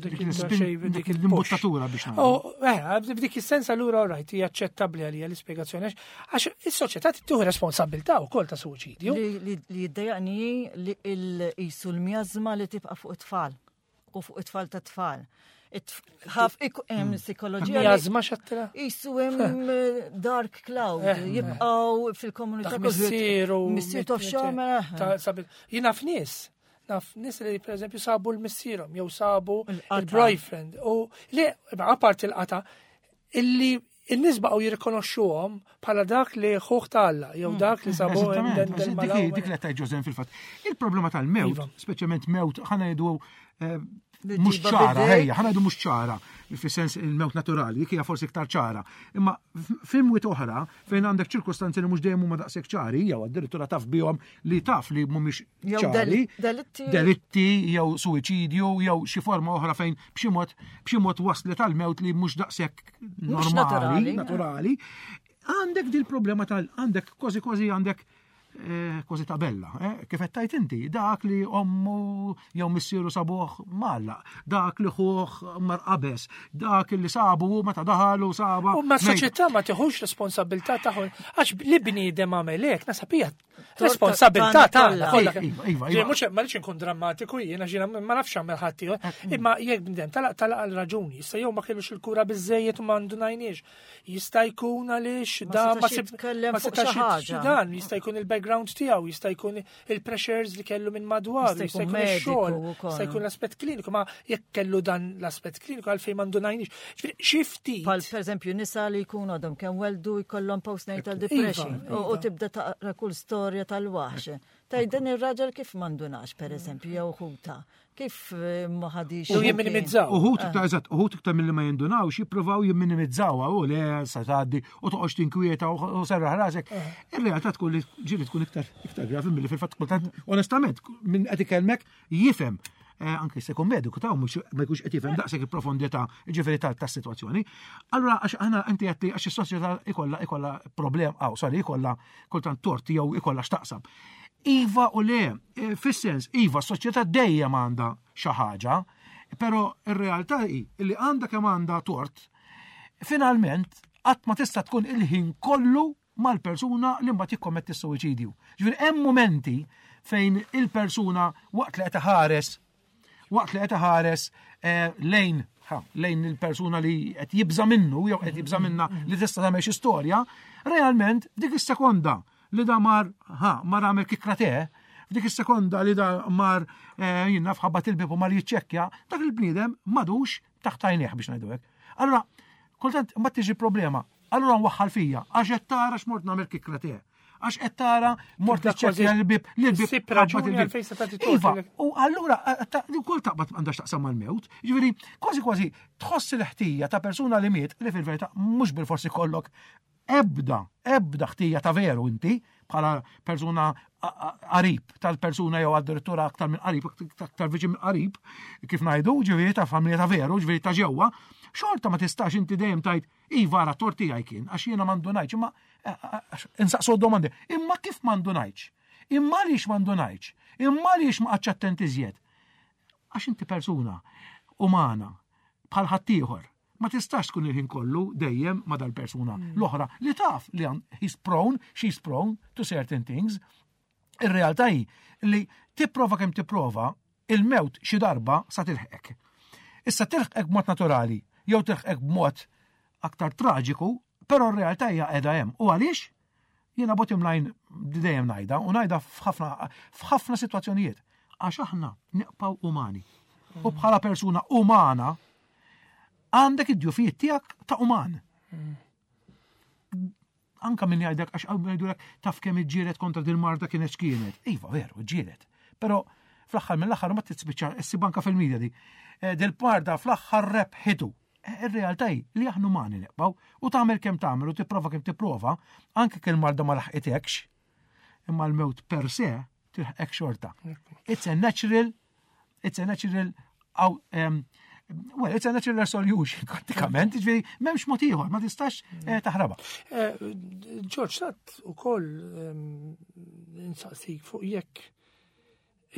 dik l-imbuttatura biex nagħmlu. Eh, f'dik is-sens allura rajt hija aċċettabbli għalija l-ispjegazzjoni għax is-soċjetà tieħu responsabilità wkoll ta' suċidju. Li jiddejjaqni li qisu l-miażma li tibqa' fuq it-tfal u fuq it-tfal ta' tfal. Ħaf hemm hmm. psikoloġija. Miażma xattila? Isu hemm eh, dark cloud, eh, eh. jibqgħu fil-komunità. Missieru. Missier taf x'għamel. Jiena f'nies. Naf nies li pereżempju sabu l-missierhom jew sabu il-boyfriend u li apart il-qata illi in-nies baqgħu jirrikonoxxuhom bħala dak li ħuħ ta' Alla jew mm. dak li sabu Dik li tajt Ġożen fil-fatt. Il-problema tal-mewt, iva. speċjalment mewt ħana jgħidu eh, mhux ċara, ejja, ħana jgħidu mhux ċara, fis-sens il-mewt naturali, dik hija forsi iktar ċara. Imma f'imwiet oħra fejn għandek ċirkustanzi li mhux dejjem huma daqshekk ċari, jew addirittura taf bihom li taf li mhumiex ċari, delitti jew suwiċidju jew xi forma oħra fejn b'xi mod b'xi mod waslet għal mewt li mhux daqshekk normali, naturali. Għandek dil problema tal għandek kważi kważi għandek eh, kważi tabella, eh, kif qed tajt inti, dak li ommu jew missieru sabuh malla, dak li ħuh mar qabes, dak li sabu meta daħal u saba. U ma soċjetà ma tiħux responsabilità tagħhom għax li bniedem għamel hekk nasab hija Responsabilità tagħna kollha. Iva, iva, iva. Mhux ma rridx inkun drammatiku jiena ġiena ma nafx għamel ħadd ieħor, eh, imma jekk bnedem talaq talaq għal raġuni, issa jew ma kellux il-kura biżejjed u ma ndunajniex. Jista' jkun għaliex da ma setax dan, jista' jkun il-background tiegħu, jista' jkun il-pressures li kellu minn madwar, jista' jkun ix-xogħol, jista' jkun l-aspett kliniku, ma jekk kellu dan l-aspett kliniku għalfejn ma ndunajniex. Xi ftit. Pal pereżempju nisa li jkunu għadhom kemm weldu jkollhom postnatal iva, depression u iva. tibda taqra kull storja tal-waħx. Taj din ir-raġel kif mandunax pereżempju jew ħuta. Kif eh, ma ħadix. U jimminimizzaw. Uħut iktar eżatt, uħut iktar milli ma jindunawx jippruvaw jimminimizzaw u le sa tgħaddi u toqgħodx tinkwieta u serraħ rasek. Eh. Ir-realtà tkun li ġieli tkun iktar iktar gravi milli fil-fatt kultant onestament minn qed ikellmek jifhem eh, anke se jkun mediku ta' mhux ma jkunx qed jifhem daqshekk il-profondità ġifieri tas-sitwazzjoni. Allura għax aħna inti qed li għax is-soċjetà ikollha ikollha problem, aw sorry, ikollha kultant tort jew ikollha x'taqsam. Iva u le, eh, fis-sens, iva, s-soċjetà dejjem għandha xi ħaġa, però ir-realtà hi li għandha kemm għandha tort, finalment qatt ma tista' tkun il-ħin kollu mal-persuna li mbagħad jikkommetti s-suwiċidju. Ġifieri hemm momenti fejn il-persuna waqt li qed iħares waqt li qed iħares eh, lejn lejn il-persuna li qed jibża minnu jew qed jibża minna li tista' tagħmel xi storja, realment dik is-sekonda li da mar ha mar għamel kikra te, f'dik is-sekonda li da mar eh, jien naf ħabbat il-bib u mar jiċċekkja, dak il-bniedem madux taħt għajnejh biex ngħidu hekk. Allura, kultant ma tiġi problema, Allura nwaħħal fija, għax qed tara x'mort nagħmel kikra tiegħek. Għax qed tara mort niċċekkja l-bib, l-bib. Sib raġuni għalfejn se tagħti Iva, u allura wkoll taqbad għandha x'taqsam mal-mewt. Ġifieri, kważi kważi tħoss il-ħtija ta' persuna li miet li fil-verità mhux bil-forsi kollok ebda, ebda ħtija ta' veru inti bħala persuna qarib tal-persuna jew addirittura aktar minn qarib, aktar viċin minn qarib, kif ngħidu, ġifieri ta' familja ta' veru, ġifieri ta' ġewwa, xorta ma tistax inti dejjem tajt Iva ara tort tiegħi kien għax jiena m'għandu imma eh, eh, insaqsu domandi. Imma kif m'għandu ngħidx? Imma għaliex m'għandu ngħidx? Imma għaliex ma qgħadx attent iżjed? Għax inti persuna umana bħal ħaddieħor ma tistax tkun il-ħin kollu dejjem ma dal-persuna mm. l-oħra li taf li he's prone, she's prone to certain things. Ir-realtà hi li tipprova kemm tipprova, il-mewt xi darba sa tilħqek. Issa tilħqek b'mod naturali jew tilħqek b'mod aktar traġiku, però r-realtà hija qiegħda hemm. U għaliex? Jiena bottom line dejjem ngħidha u ngħidha f'ħafna f'ħafna sitwazzjonijiet. Għax aħna neqpaw umani. U bħala persuna umana għandek id-djufijiet tiegħek ta' uman. Anka min jgħidlek għax hawn jgħidulek taf kemm iġġieled kontra din marda kienet x'kienet. Iva, veru, iġġieled. Però fl-aħħar mill-aħħar ma tispiċċa issib anka fil-media di. Eh, dil-parda fl-aħħar rebħitu. Eh, ir-realtà hi li aħna umani neqbgħu u tagħmel kemm tagħmel u tipprova kemm tipprova, anke kemm marda ma laħqitekx, imma l-mewt per se tilħqek xorta. It's a natural It's a natural um, Well, it's a natural solution, pratikament, ġveri, memx mod ieħor, ma tistax eh, taħraba. Eh, George, tat u koll ehm, insaqsik fuq jekk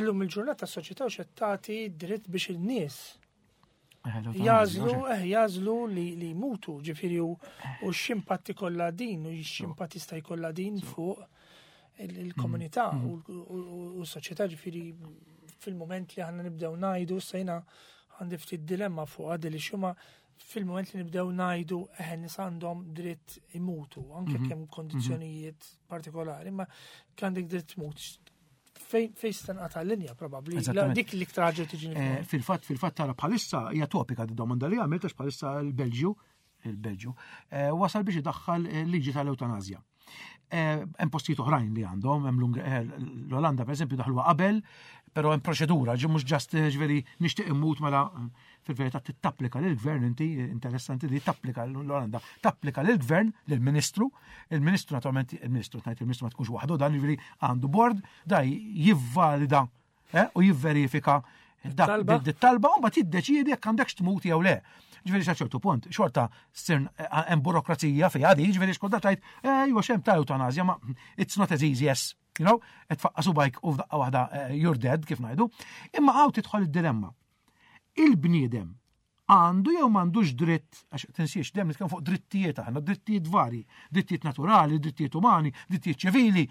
illum il-ġurnata s-soċjetà u tagħti dritt biex il-nies eh, jażlu jażlu li li jmutu, ġifieri u x'impatt ikollha din u x'impatt jista' jkollha din fuq il-komunità mm. u s-soċjetà ġifieri fil-moment li għandna nibdew ngħidu sejna għandi ftit dilemma fuq għadi li xuma fil-moment li nibdew ngħidu eħe nies għandhom dritt imutu, anke mhm. kemm kondizzjonijiet mhm. partikolari, ma għandek dritt tmut. Fejn se linja probabbli. Dik li iktar ħaġa tiġi. Eh, fil-fatt fil-fatt tara bħalissa hija topika di domanda li għamilt għax bħalissa l-Belġju il-Belġju eh, wasal biex idaħħal eh, liġi tal-eutanazja. Hemm postijiet oħrajn li għandhom, hemm l-Olanda pereżempju daħluha qabel, però hemm proċedura, ġi mhux ġast ġifieri nixtieq immut mela fil-verità tittapplika lill-gvern inti interessanti li tapplika l-Olanda, tapplika lill-gvern, lill-ministru, il-ministru naturalment il-ministru tgħid il-ministru ma tkunx waħdu dan jiġifieri għandu bord da jivvalida eh, u jivverifika dak talba u mbagħad jiddeċiedi jekk għandekx tmut jew le. Ġifieri sa ċertu punt, xorta ssir eh, hemm burokrazija fiha di, ġifieri xkolda tgħid, eh, iva xem ta' eutanazja, ma it's not as easy as, qed tfaqqa' subgħajk u f'daqqa waħda you're dead kif ngħidu. Imma hawn tidħol id-dilemma. Il-bniedem għandu jew m'għandux dritt, għax tinsiex dejjem nitkellmu fuq drittijiet aħna, drittijiet vari, drittijiet naturali, drittijiet umani, drittijiet ċivili,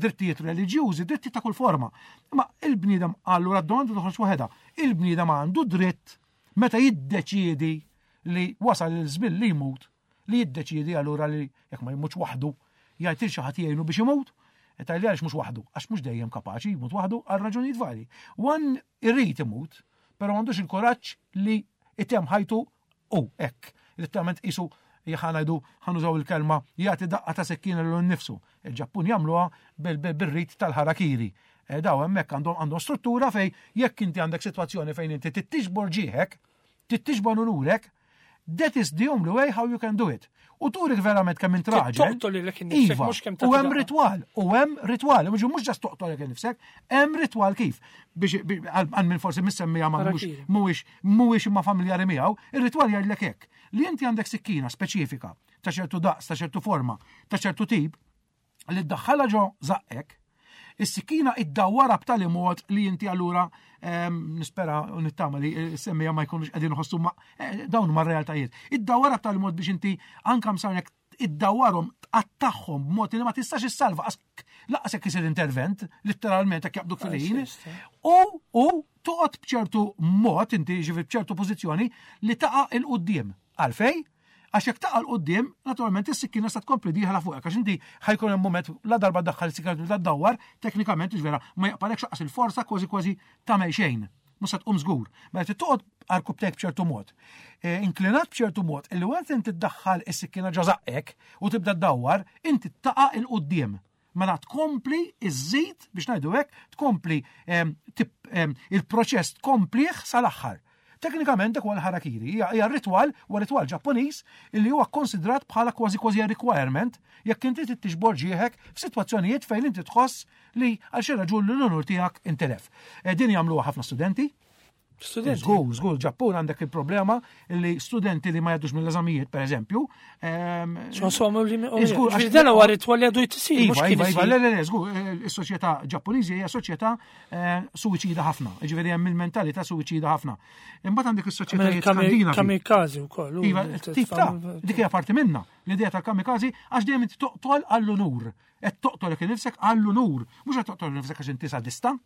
drittijiet reliġjużi, drittijiet ta' kull forma. Imma il-bniedem allura d-domanda toħroġ waħedha. Il-bniedem għandu dritt meta jiddeċiedi li wasal il-żmien li jmut, li jiddeċiedi allura li jekk ma jmutx waħdu, jgħid lil xi ħadd jgħinu biex imut, Tgħidli għaliex mhux waħdu, għax mhux dejjem kapaċi jmut waħdu għal raġunijiet varji. One irrid imut, però m'għandux il-kuraġġ li itemm ħajtu u hekk. Letteralment qisu ħa ngħidu ħa nużaw il-kelma jagħti daqqa ta' sekkina lil nnifsu. Il-Ġappun jagħmluha bil-rit tal-harakiri. Daw hemmhekk għandhom struttura fej jekk inti għandek sitwazzjoni fejn inti tittiġbor ġieħek, tittiġbor unurek, that is the only way how you can do it. U turik verament kemm int raġel. Toqtol lilek innifsek, Iva, mhux kemm u tagħti hemm daqqa. ritwal, u hemm ritwal, mhux mhux just toqtol lilek innifsek, hemm ritwal kif. Biex għal min forsi missemmija ma mhux Harakiri. mhuwiex mhuwiex imma familjari miegħu, ir-ritwal jgħidlek hekk li inti għandek sikkina speċifika ta' ċertu daqs, ta' ċertu forma, ta' ċertu tip, li ddaħħalha ġo żaqqek, is-sikkina iddawwara b'tali mod li inti allura nispera u nittama li semmija ma jkunux qegħdin iħossu ma dawn huma r-realtajiet. Iddawwara b'tali mod biex inti anka msarnek iddawwarhom tqattagħhom b'mod li ma tistax issalva laqas jekk isir intervent, letteralment jekk jaqbduk fil-ħin. U toqgħod b'ċertu mod, inti ġifieri b'ċertu pożizzjoni li taqa' 'il quddiem. Għalfej? Għax jekk taqa' 'l quddiem, naturalment is-sikkina sa tkompli dieħla fuqek, għax inti ħa jkun hemm moment la darba ddaħħal is-sikkina tibda ddawwar, teknikament vera ma jaqbalekx laqas il-forza kważi kważi tagħmel xejn. Mhux se tqum żgur. Mela trid toqgħod għarkupptejk b'ċertu mod. Inklinat b'ċertu mod, illi waqt inti ddaħħal is-sikkina ġo żaqqek u tibda ddawwar, inti taqa' 'il quddiem. Mela tkompli iżżid biex ngħidu hekk, tkompli il-proċess tkomplih sal-aħħar. Teknikament dak huwa l-harakiri, hija ritwal, huwa ritwal Ġappuniż illi huwa konsidrat bħala kważi kważi requirement jekk inti trid tiġbor ġieħek f'sitwazzjonijiet fejn inti tħoss li għal xi raġun l-unur tiegħek intelef. Din jagħmluha ħafna studenti. Studenti. Żgur, żgur, Ġappun għandek il-problema li studenti li ma jgħaddux mill-eżamijiet, per eżempju. X'għasom li Żgur, Ġifieri dan huwa ritwal li għadu jtisir, mhux Iva, kien iva, iva, isir. le, le, le, żgur, is-soċjetà Ġappuniżi hija soċjetà suwiċida ħafna, ġifieri hemm il-mentalità suwiċida ħafna. Imbagħad għandek is-soċjetajiet Skandinavi. Kamikaze wkoll. Iva, tip ta' dik hija parti minna, l-idea tal-kamikaze għax dejjem inti toqtol għall-unur. Qed toqtol lilek innifsek għall-unur, mhux qed toqtol nifsek għax inti sadista,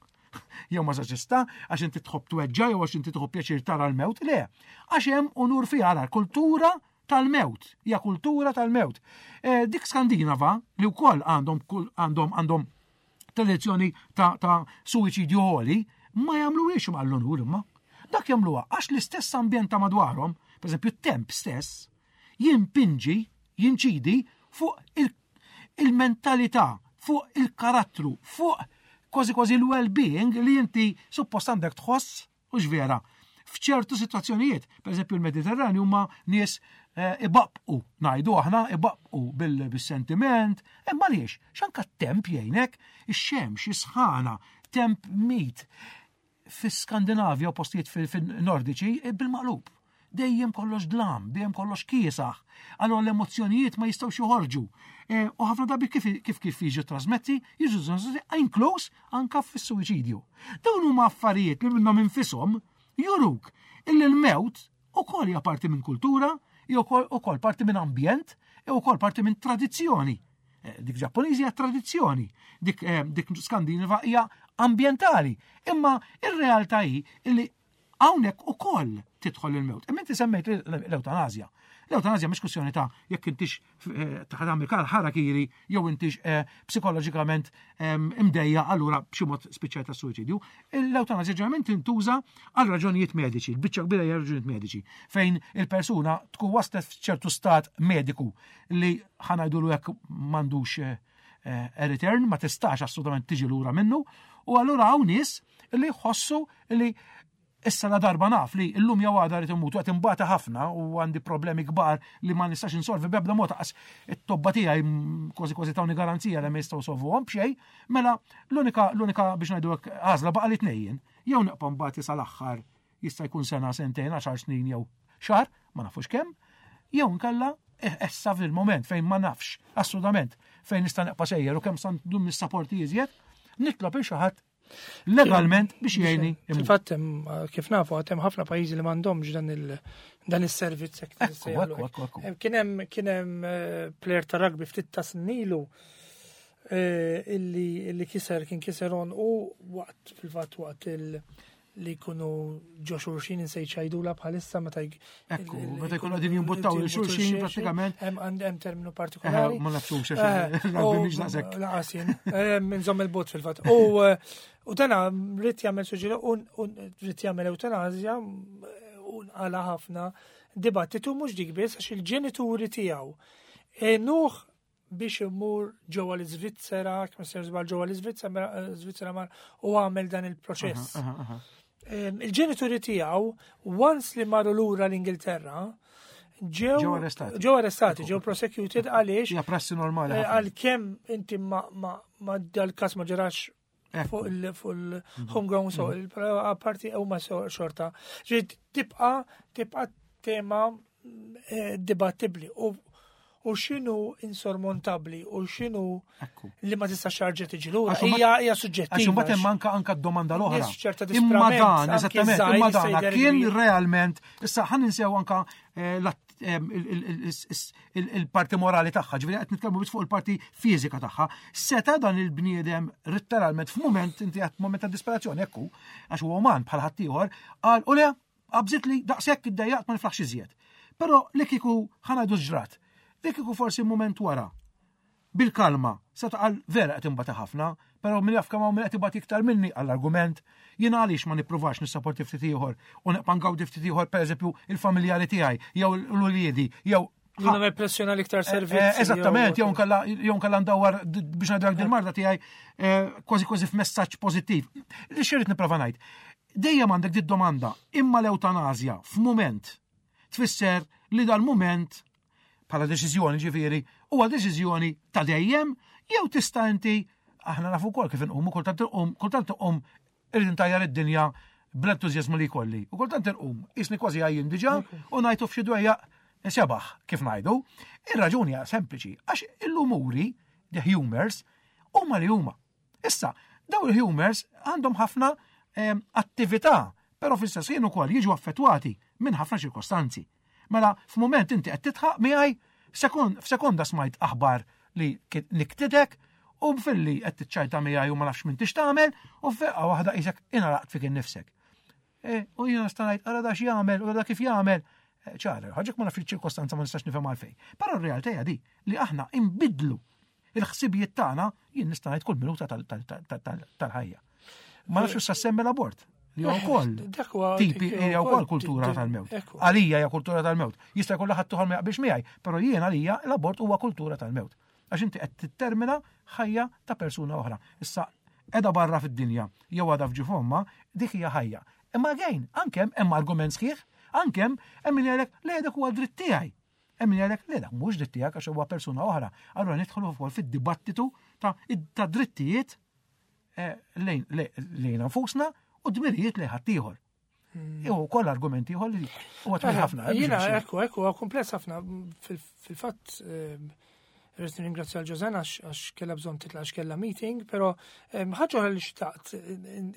jew mażoċista, għax inti tħobb tweġġa jew għax inti tħobb pjaċir tara l-mewt, le. Għax hemm unur fiha ara kultura tal-mewt, hija kultura tal-mewt. Dik Skandinava li wkoll għandhom tradizzjoni ta' suwiċidju għoli, ma jagħmluhiex għall-unur imma. Dak jagħmluha għax l-istess ambjent ta' madwarhom, per eżempju t-temp stess, jimpinġi, jinċidi fuq il-mentalità, fuq il-karattru, fuq kważi kważi l-well-being li inti suppost għandek tħoss, u vera, f'ċertu situazzjonijiet. Per eżempju, il-Mediterranju huma nies ibaqbqu, ngħidu aħna ibaqbqu bil-sentiment, imma għaliex, x'anka t-temp jgħinek, ix-xemx, is-sħana, temp mit. Fi-Skandinavja u postijiet fil-Nordiċi bil-maqlub. Dejjem kollox dlam, dejjem kollox kiesaħ. Allora l-emozzjonijiet ma jistgħux joħorġu. U ħafna drabi kif jiġu trasmetti, jiġu trasmetti inkluż anka fis-suwiċidju. Dawn huma affarijiet li minnhom infisom juruk illi l-mewt ukoll hija parti minn kultura, hija ukoll parti minn ambjent, hija ukoll parti minn tradizzjoni. Dik Ġappuniżi hija tradizzjoni, dik Skandinava hija ambjentali. Imma ir-realtà hi illi hawnhekk ukoll tidħol il-mewt. Imma inti semmejt l-eutanazja. L-eutanazja mhix kwistjoni ta' jekk intix eh, ta' tagħmel ħarakiri jew intix eh, psikoloġikament imdejja allura b'xi mod spiċċajt ta' suwiċidju. L-eutanazja ġeneralment tintuża għal raġunijiet mediċi, l-biċċa kbira hija raġunijiet mediċi, fejn il-persuna tkun waslet f'ċertu stat mediku li ħanajdulu hekk m'għandux eh, return, ma tistax assolutament tiġi lura minnu, u allura hawn nies li jħossu li issa la darba naf li llum jew għada rrid imut u qed imbata ħafna u għandi problemi kbar li ma nistax insolvi b'ebda mod qas it-tobba tiegħi kważi kważi tawni garanzija li ma jistgħu solvuhom b'xejn, mela l-unika l-unika biex ngħidu hekk għażla baqa' li tnejjin. Jew neqpa' mbagħad sal-aħħar jista' jkun sena, sentejn, għaxar snin jew xahar, ma nafux kemm, jew nkella eh, issa fil-moment fejn ma nafx assolutament fejn nista' neqpa' sejjer u kemm sa ndum nissaporti iżjed, nitlob il xi ħadd legalment biex jgħinni. Fil-fatt kif nafu għad hemm ħafna pajjiżi li m'għandhomx dan il dan is-servizz hekk. Kien hemm kien hemm eh, player ta' rugby ftit ta' snilu eh, illi kiser kien kiser on u waqt fil-fatt waqt il- li jkunu ġo xulxin insejt xajdula bħalissa meta Ekku, meta jkunu qegħdin jimbuttaw il xulxin prattikament. Hemm hemm terminu partikolari. Ma nafxux rugby mhix daqshekk. Laqas jien. Nżomm il-bot fil-fatt. U eh, u dana rrid jagħmel suġġeri u rrid jagħmel eutanazja u nqala ħafna dibattitu mhux dik biss għax il-ġenituri tiegħu. Nuh biex imur ġewwa l-Iżvizzera, kemm ser żball ġewwa l-Iżvizzera, eh, Iżvizzera mar u għamel dan il-proċess. Il-ġenituri tiegħu once li marru lura l-Ingilterra, ġew arrestati, ġew arrestati, ġew prosecuted għaliex. Hija prassi normali. Eh, għalkemm inti ma ma dal-każ ma ġarax fuq il-homegrown so il-parti huma xorta. Ġiet tibqa tibqa tema eh, dibattibli u u xinu insormontabli u xinu li ma tistax xarġa tiġi lura. Hija hija suġġettiva. Għax imbagħad hemm anka anka d-domanda l-oħra. Imma dan, eżattament, imma dan kien realment, issa ħan ninsew anka eh, il-parti morali tagħha, ġifieri qed nitkellmu biss fuq il-parti fiżika tagħha. Seta dan il-bniedem letteralment f'mument inti qed mument ta' disperazzjoni hekk hu, għax huwa uman bħal ħaddieħor, qal u le qabżit li daqshekk iddejjaqt ma niflaħx iżjed. Però li kieku ħanajdu ġrat, li kieku forsi mument wara Bil-kalma, seta' qal vera qed inbati ħafna, però min jaf kemm hawn min qed ibati iktar minni għall-argument, jiena għaliex ma nippruvax nissaporti ftit ieħor u nibqa' ngawdi ftit ieħor pereżempju il-familjari tiegħi jew l-uliedi jew Jien nagħmel pressjoni għal iktar eh, servizzi. Eh, eżattament, jew nkella jew nkella ndawwar biex ngħidlek din marda tiegħi eh, kważi kważi f'messaġġ pożittiv. Li xirrid nipprova ngħid. Dejjem għandek dit domanda imma l-eutanazja f'mument tfisser li dal-mument bħala deċiżjoni ġifieri huwa deċiżjoni ta' dejjem jew tista' inti aħna nafu wkoll kif inqumu kultant inqum kultant inqum irrid intajjar id-dinja bl-entużjażmu li jkolli. U kultant inqum isni kważi għajjin diġà u ngħidu f'xi dwejjaq sebaħ kif ngħidu. Ir-raġuni hija sempliċi għax il-umuri, the humors, huma li huma. Issa, daw il-humors għandhom ħafna ehm, attività, però fl-istess ħin ukoll jiġu affettwati minn ħafna ċirkostanzi. Mela, f'mument inti qed titħaq miegħi, f'sekonda smajt aħbar li niktidek u filli qed tiċċajta miegħi u ma nafx minn tix tagħmel u f'feqqa waħda qisek inaraqt fik innifsek. E, u jiena nista' ngħid ara da x'jagħmel u da kif jagħmel. E, ċara, ħaġek ma nafx iċ-ċirkostanza ma nistax nifhem għalfejn. Però r-realtà hija di li aħna inbidlu il-ħsibijiet tagħna jien nista' ngħid kull minuta tal-ħajja. Ma nafx sa semmi l-abort li huwa wkoll tipi hija wkoll kultura tal-mewt. Għalija hija kultura tal-mewt. Jista' jkun ħadd ieħor ma jaqbilx miegħi, però jien għalija l-abort huwa kultura tal-mewt. Għax inti qed tittermina ħajja ta' persuna oħra. Issa edha barra fid-dinja jew għadha f'ġifomma, dik hija ħajja. Imma again, anke hemm argument sħiħ, anke hemm min jgħidlek le dak huwa dritt tiegħi. Hemm min jgħidlek le dak mhux dritt tiegħek għax huwa persuna oħra. Allura nidħlu wkoll fid-dibattitu ta' drittijiet eh, lejn lejn nfusna u dmirijiet lejn ħaddieħor. Hmm. Jew ukoll argumenti ieħor li huwa twil ħafna. Eh, jiena ekku ekku huwa kumpless ħafna fil-fatt eh, Rrid nirringrazzja l-Ġożan għax kellha bżonn titla' għax kellha meeting, però ħaġa oħra li xtaqt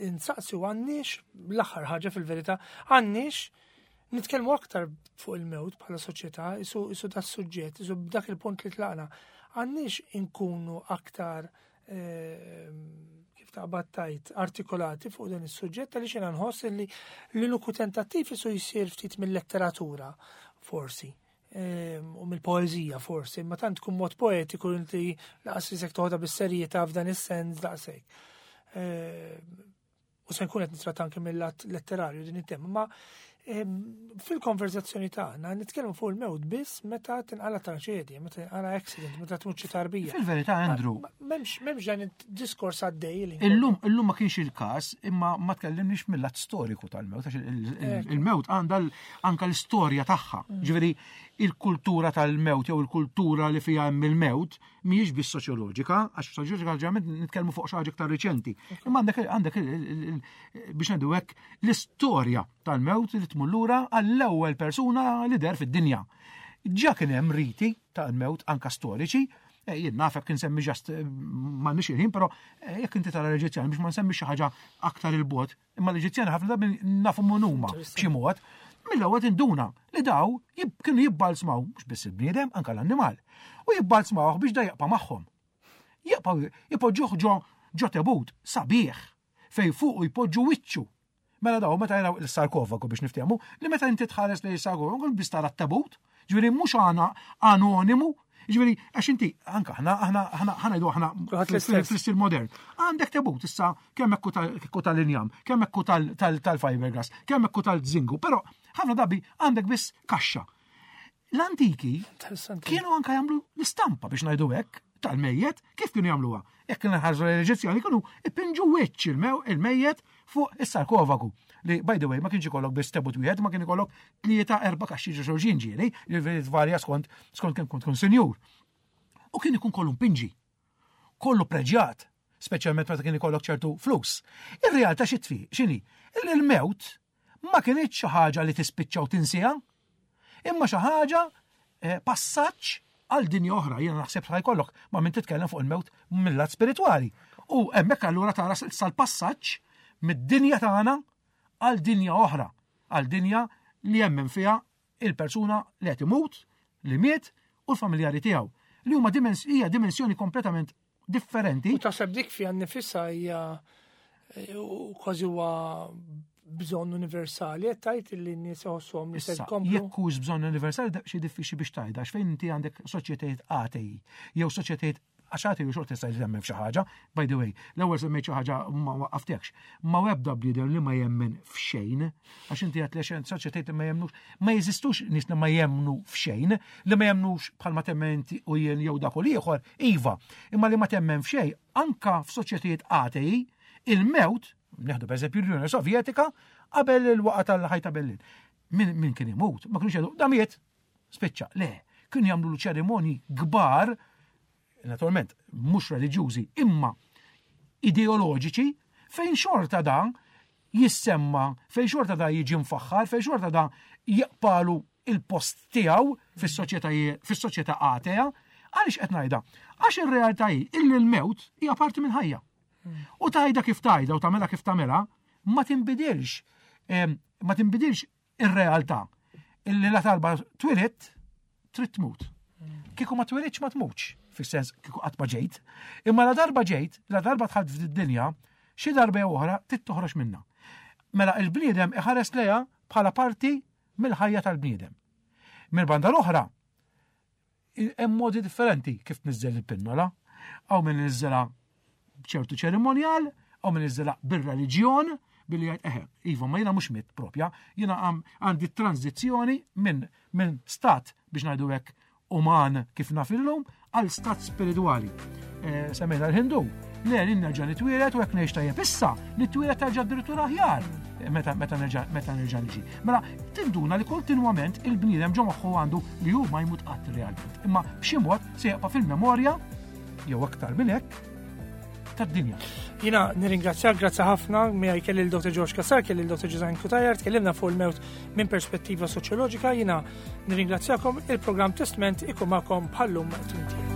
insaqsi u għandniex l-aħħar ħaġa fil-verità għandniex Nitkellmu aktar fuq il-mewt bħala soċjetà, isu isu da suġġett, isu b'dak il-punt li tlaqna. Għandniex inkunu aktar ehm, kif taqbad tajt artikolati fuq dan is-suġġett għaliex jiena nħoss li l-uniku tentattiv isu jsir ftit mill-letteratura forsi. u mill-poeżija forsi, imma tant tkun mod poetiku li laqas isek toħodha bis-serjetà f'dan is-sens daqshekk. U se nkun qed nitratta anke mill-lat letterarju din it-tema, ma fil-konverzazzjoni tagħna nitkellmu fuq il-mewt biss meta tinqala traċedja, meta tinqala accident, meta tmut xi tarbija. Fil-verità, Andrew. M'hemmx dan id-diskors għaddej li. Illum illum ma kienx il-każ, imma ma tkellimniex mill-lat storiku tal-mewt, għax il-mewt għandha anka l-istorja tagħha. Ġifieri il-kultura tal-mewt jew il-kultura li fiha hemm il-mewt mhijiex biss soċjoloġika, għax soċjoloġika ġeneralment nitkellmu fuq xi ħaġa iktar riċenti. Imma għandek għandek biex ngħidu hekk l-istorja tal-mewt li tmur lura għall-ewwel persuna li der fid-dinja. Ġa kien hemm riti tal-mewt anka storiċi, eh, jien naf jekk insemmi ġast eh, m'għandniex il-ħin, però eh, jekk inti tara l-Eġizzjani biex ma nsemmi xi ħaġa aktar il-bot, imma l-Eġizzjani ħafna drabi nafu mun huma b'xi mod, mill-ewwel tinduna li daw kienu jibbalzmaw mhux biss il-bniedem anke l-annimal u jibbalzmawh biex da jaqpa' magħhom. Jaqpa' jpoġġuh ġo ġo tebut sabiħ fejn fuqu jpoġġu wiċċu. Mela daw meta jaraw il-sarkofagu biex niftehmu li meta inti tħares lejn il-sarkofagu biss tara t-tebut, ġifieri mhux għana anonimu, Ġifieri, għax inti, anka aħna, aħna, aħna, ħa ngħidu aħna fl-istil modern. Għandek tebut issa kemm hekk tal-injam, kemm hekk tal-fiberglass, kemm hekk tal-zingu, però ħafna drabi għandek biss kaxxa. L-antiki kienu anka jagħmlu l-istampa biex ngħidu hekk tal-mejjet, kif kienu jagħmluha? Jekk kienu ħarġu l-Eġizzjani kienu ipinġu wiċċ il-mejjet fuq is-sarkofagu. Li, by the way, ma kienx ikollok biss tebut wieħed, ma kien ikollok tlieta erba' kaxxi ġo xulxin ġieli, li tvarja skont skont kemm kont tkun sinjur. U kien ikun kollu mpinġi, kollu preġjat, speċjalment meta kien ikollok ċertu flus. Ir-realtà xi tfi, x'inhi? Il-mewt ma kinitx xi ħaġa li tispiċċa u tinsiha, imma xi ħaġa eh, passaġġ għal dinja oħra, jiena naħseb ħa jkollok ma' min titkellem fuq il-mewt mill-lat spiritwali. U hemmhekk allura tara sal-passaġġ mid-dinja tagħna għal dinja oħra, għal dinja li jemmen fiha il-persuna li qed imut, li miet u l-familjari tiegħu. Li huma hija dimensjoni kompletament differenti. U taħseb dik fiha nnifisha hija eh, kważi huwa bżonn universali, qed tgħid li n-nies iħossuhom li se jkomplu. Jekk hux bżonn universali xi diffiċli biex tgħidha għax fejn inti għandek soċjetajiet atei jew soċjetajiet għax atei u xorta tista' temmen f'xi ħaġa, by the way, l-ewwel semmejt xi ħaġa ma waqqaftekx. Ma ebda bniedem li ma jemmen f'xejn, għax inti għedt li soċjetajiet li ma jemmnux, ma jeżistux nies li ma jemmnu f'xejn, li ma jemmnux bħalma temmen inti u jien jew dak u l-ieħor, iva, imma li ma temmen f'xejn, anka f'soċjetajiet atei, il-mewt, neħdu per eżempju l-Unjoni Sovjetika, qabel il-waqa tal-ħajta Berlin. Min, min kien imut, ma kienux jgħidu, da miet, spiċċa, le, kienu jagħmlu ċerimoni kbar, naturalment, mhux reliġjużi, imma ideoloġiċi, fejn xorta da jissemma, fejn xorta da jiġi mfaħħar, fejn xorta da jaqpalu il-post tiegħu fis-soċjetà atea, għaliex qed ngħidha? Għax ir-realtà hi illi l-mewt hija parti minn ħajja. U tajda kif tajda u tagħmilha kif tagħmilha, ma tinbidilx ma tinbidilx ir-realtà illi la talba twilidt trid tmut. Kieku ma twilidx ma tmutx, fis-sens kieku qatt ma ġejt. Imma la darba ġejt, la darba dħalt fid-dinja, xi darba jew oħra trid toħroġ minnha. Mela il-bniedem iħares lejha bħala parti mill-ħajja tal-bniedem. Mill-banda l-oħra, Hemm modi differenti kif tniżżel il-pinnola. Hawn min niżżelha b'ċertu ċerimonjal, hawn min niżżelha bir-reliġjon, billi jgħid eħe, iva, ma jiena mhux mitt propja, jiena għandi tranzizzjoni minn min stat biex ngħidu hekk uman kif naf illum għal stat spiritwali. Eh, semmejna l-Hindu, le li nerġa' nitwielet u hekk ngħix tajjeb issa, nitwielet terġa' addirittura aħjar meta meta nerġa' meta nerġa' niġi. Mela tinduna li kontinwament il-bniedem ġo moħħu għandu li hu ma jmut qatt realment. Imma b'xi mod se jaqpa' fil-memorja jew aktar minn hekk tad-dinja. Jina nirringrazzjak, grazzi ħafna, miegħi kelli l-Dr. George Kassar, kelli l-Dr. Ġużajn Kutajar, tkellimna fuq il-mewt minn perspettiva soċjoloġika, jina nirringrazzjakom il-programm Testment ikun magħkom bħallum tmintijiem.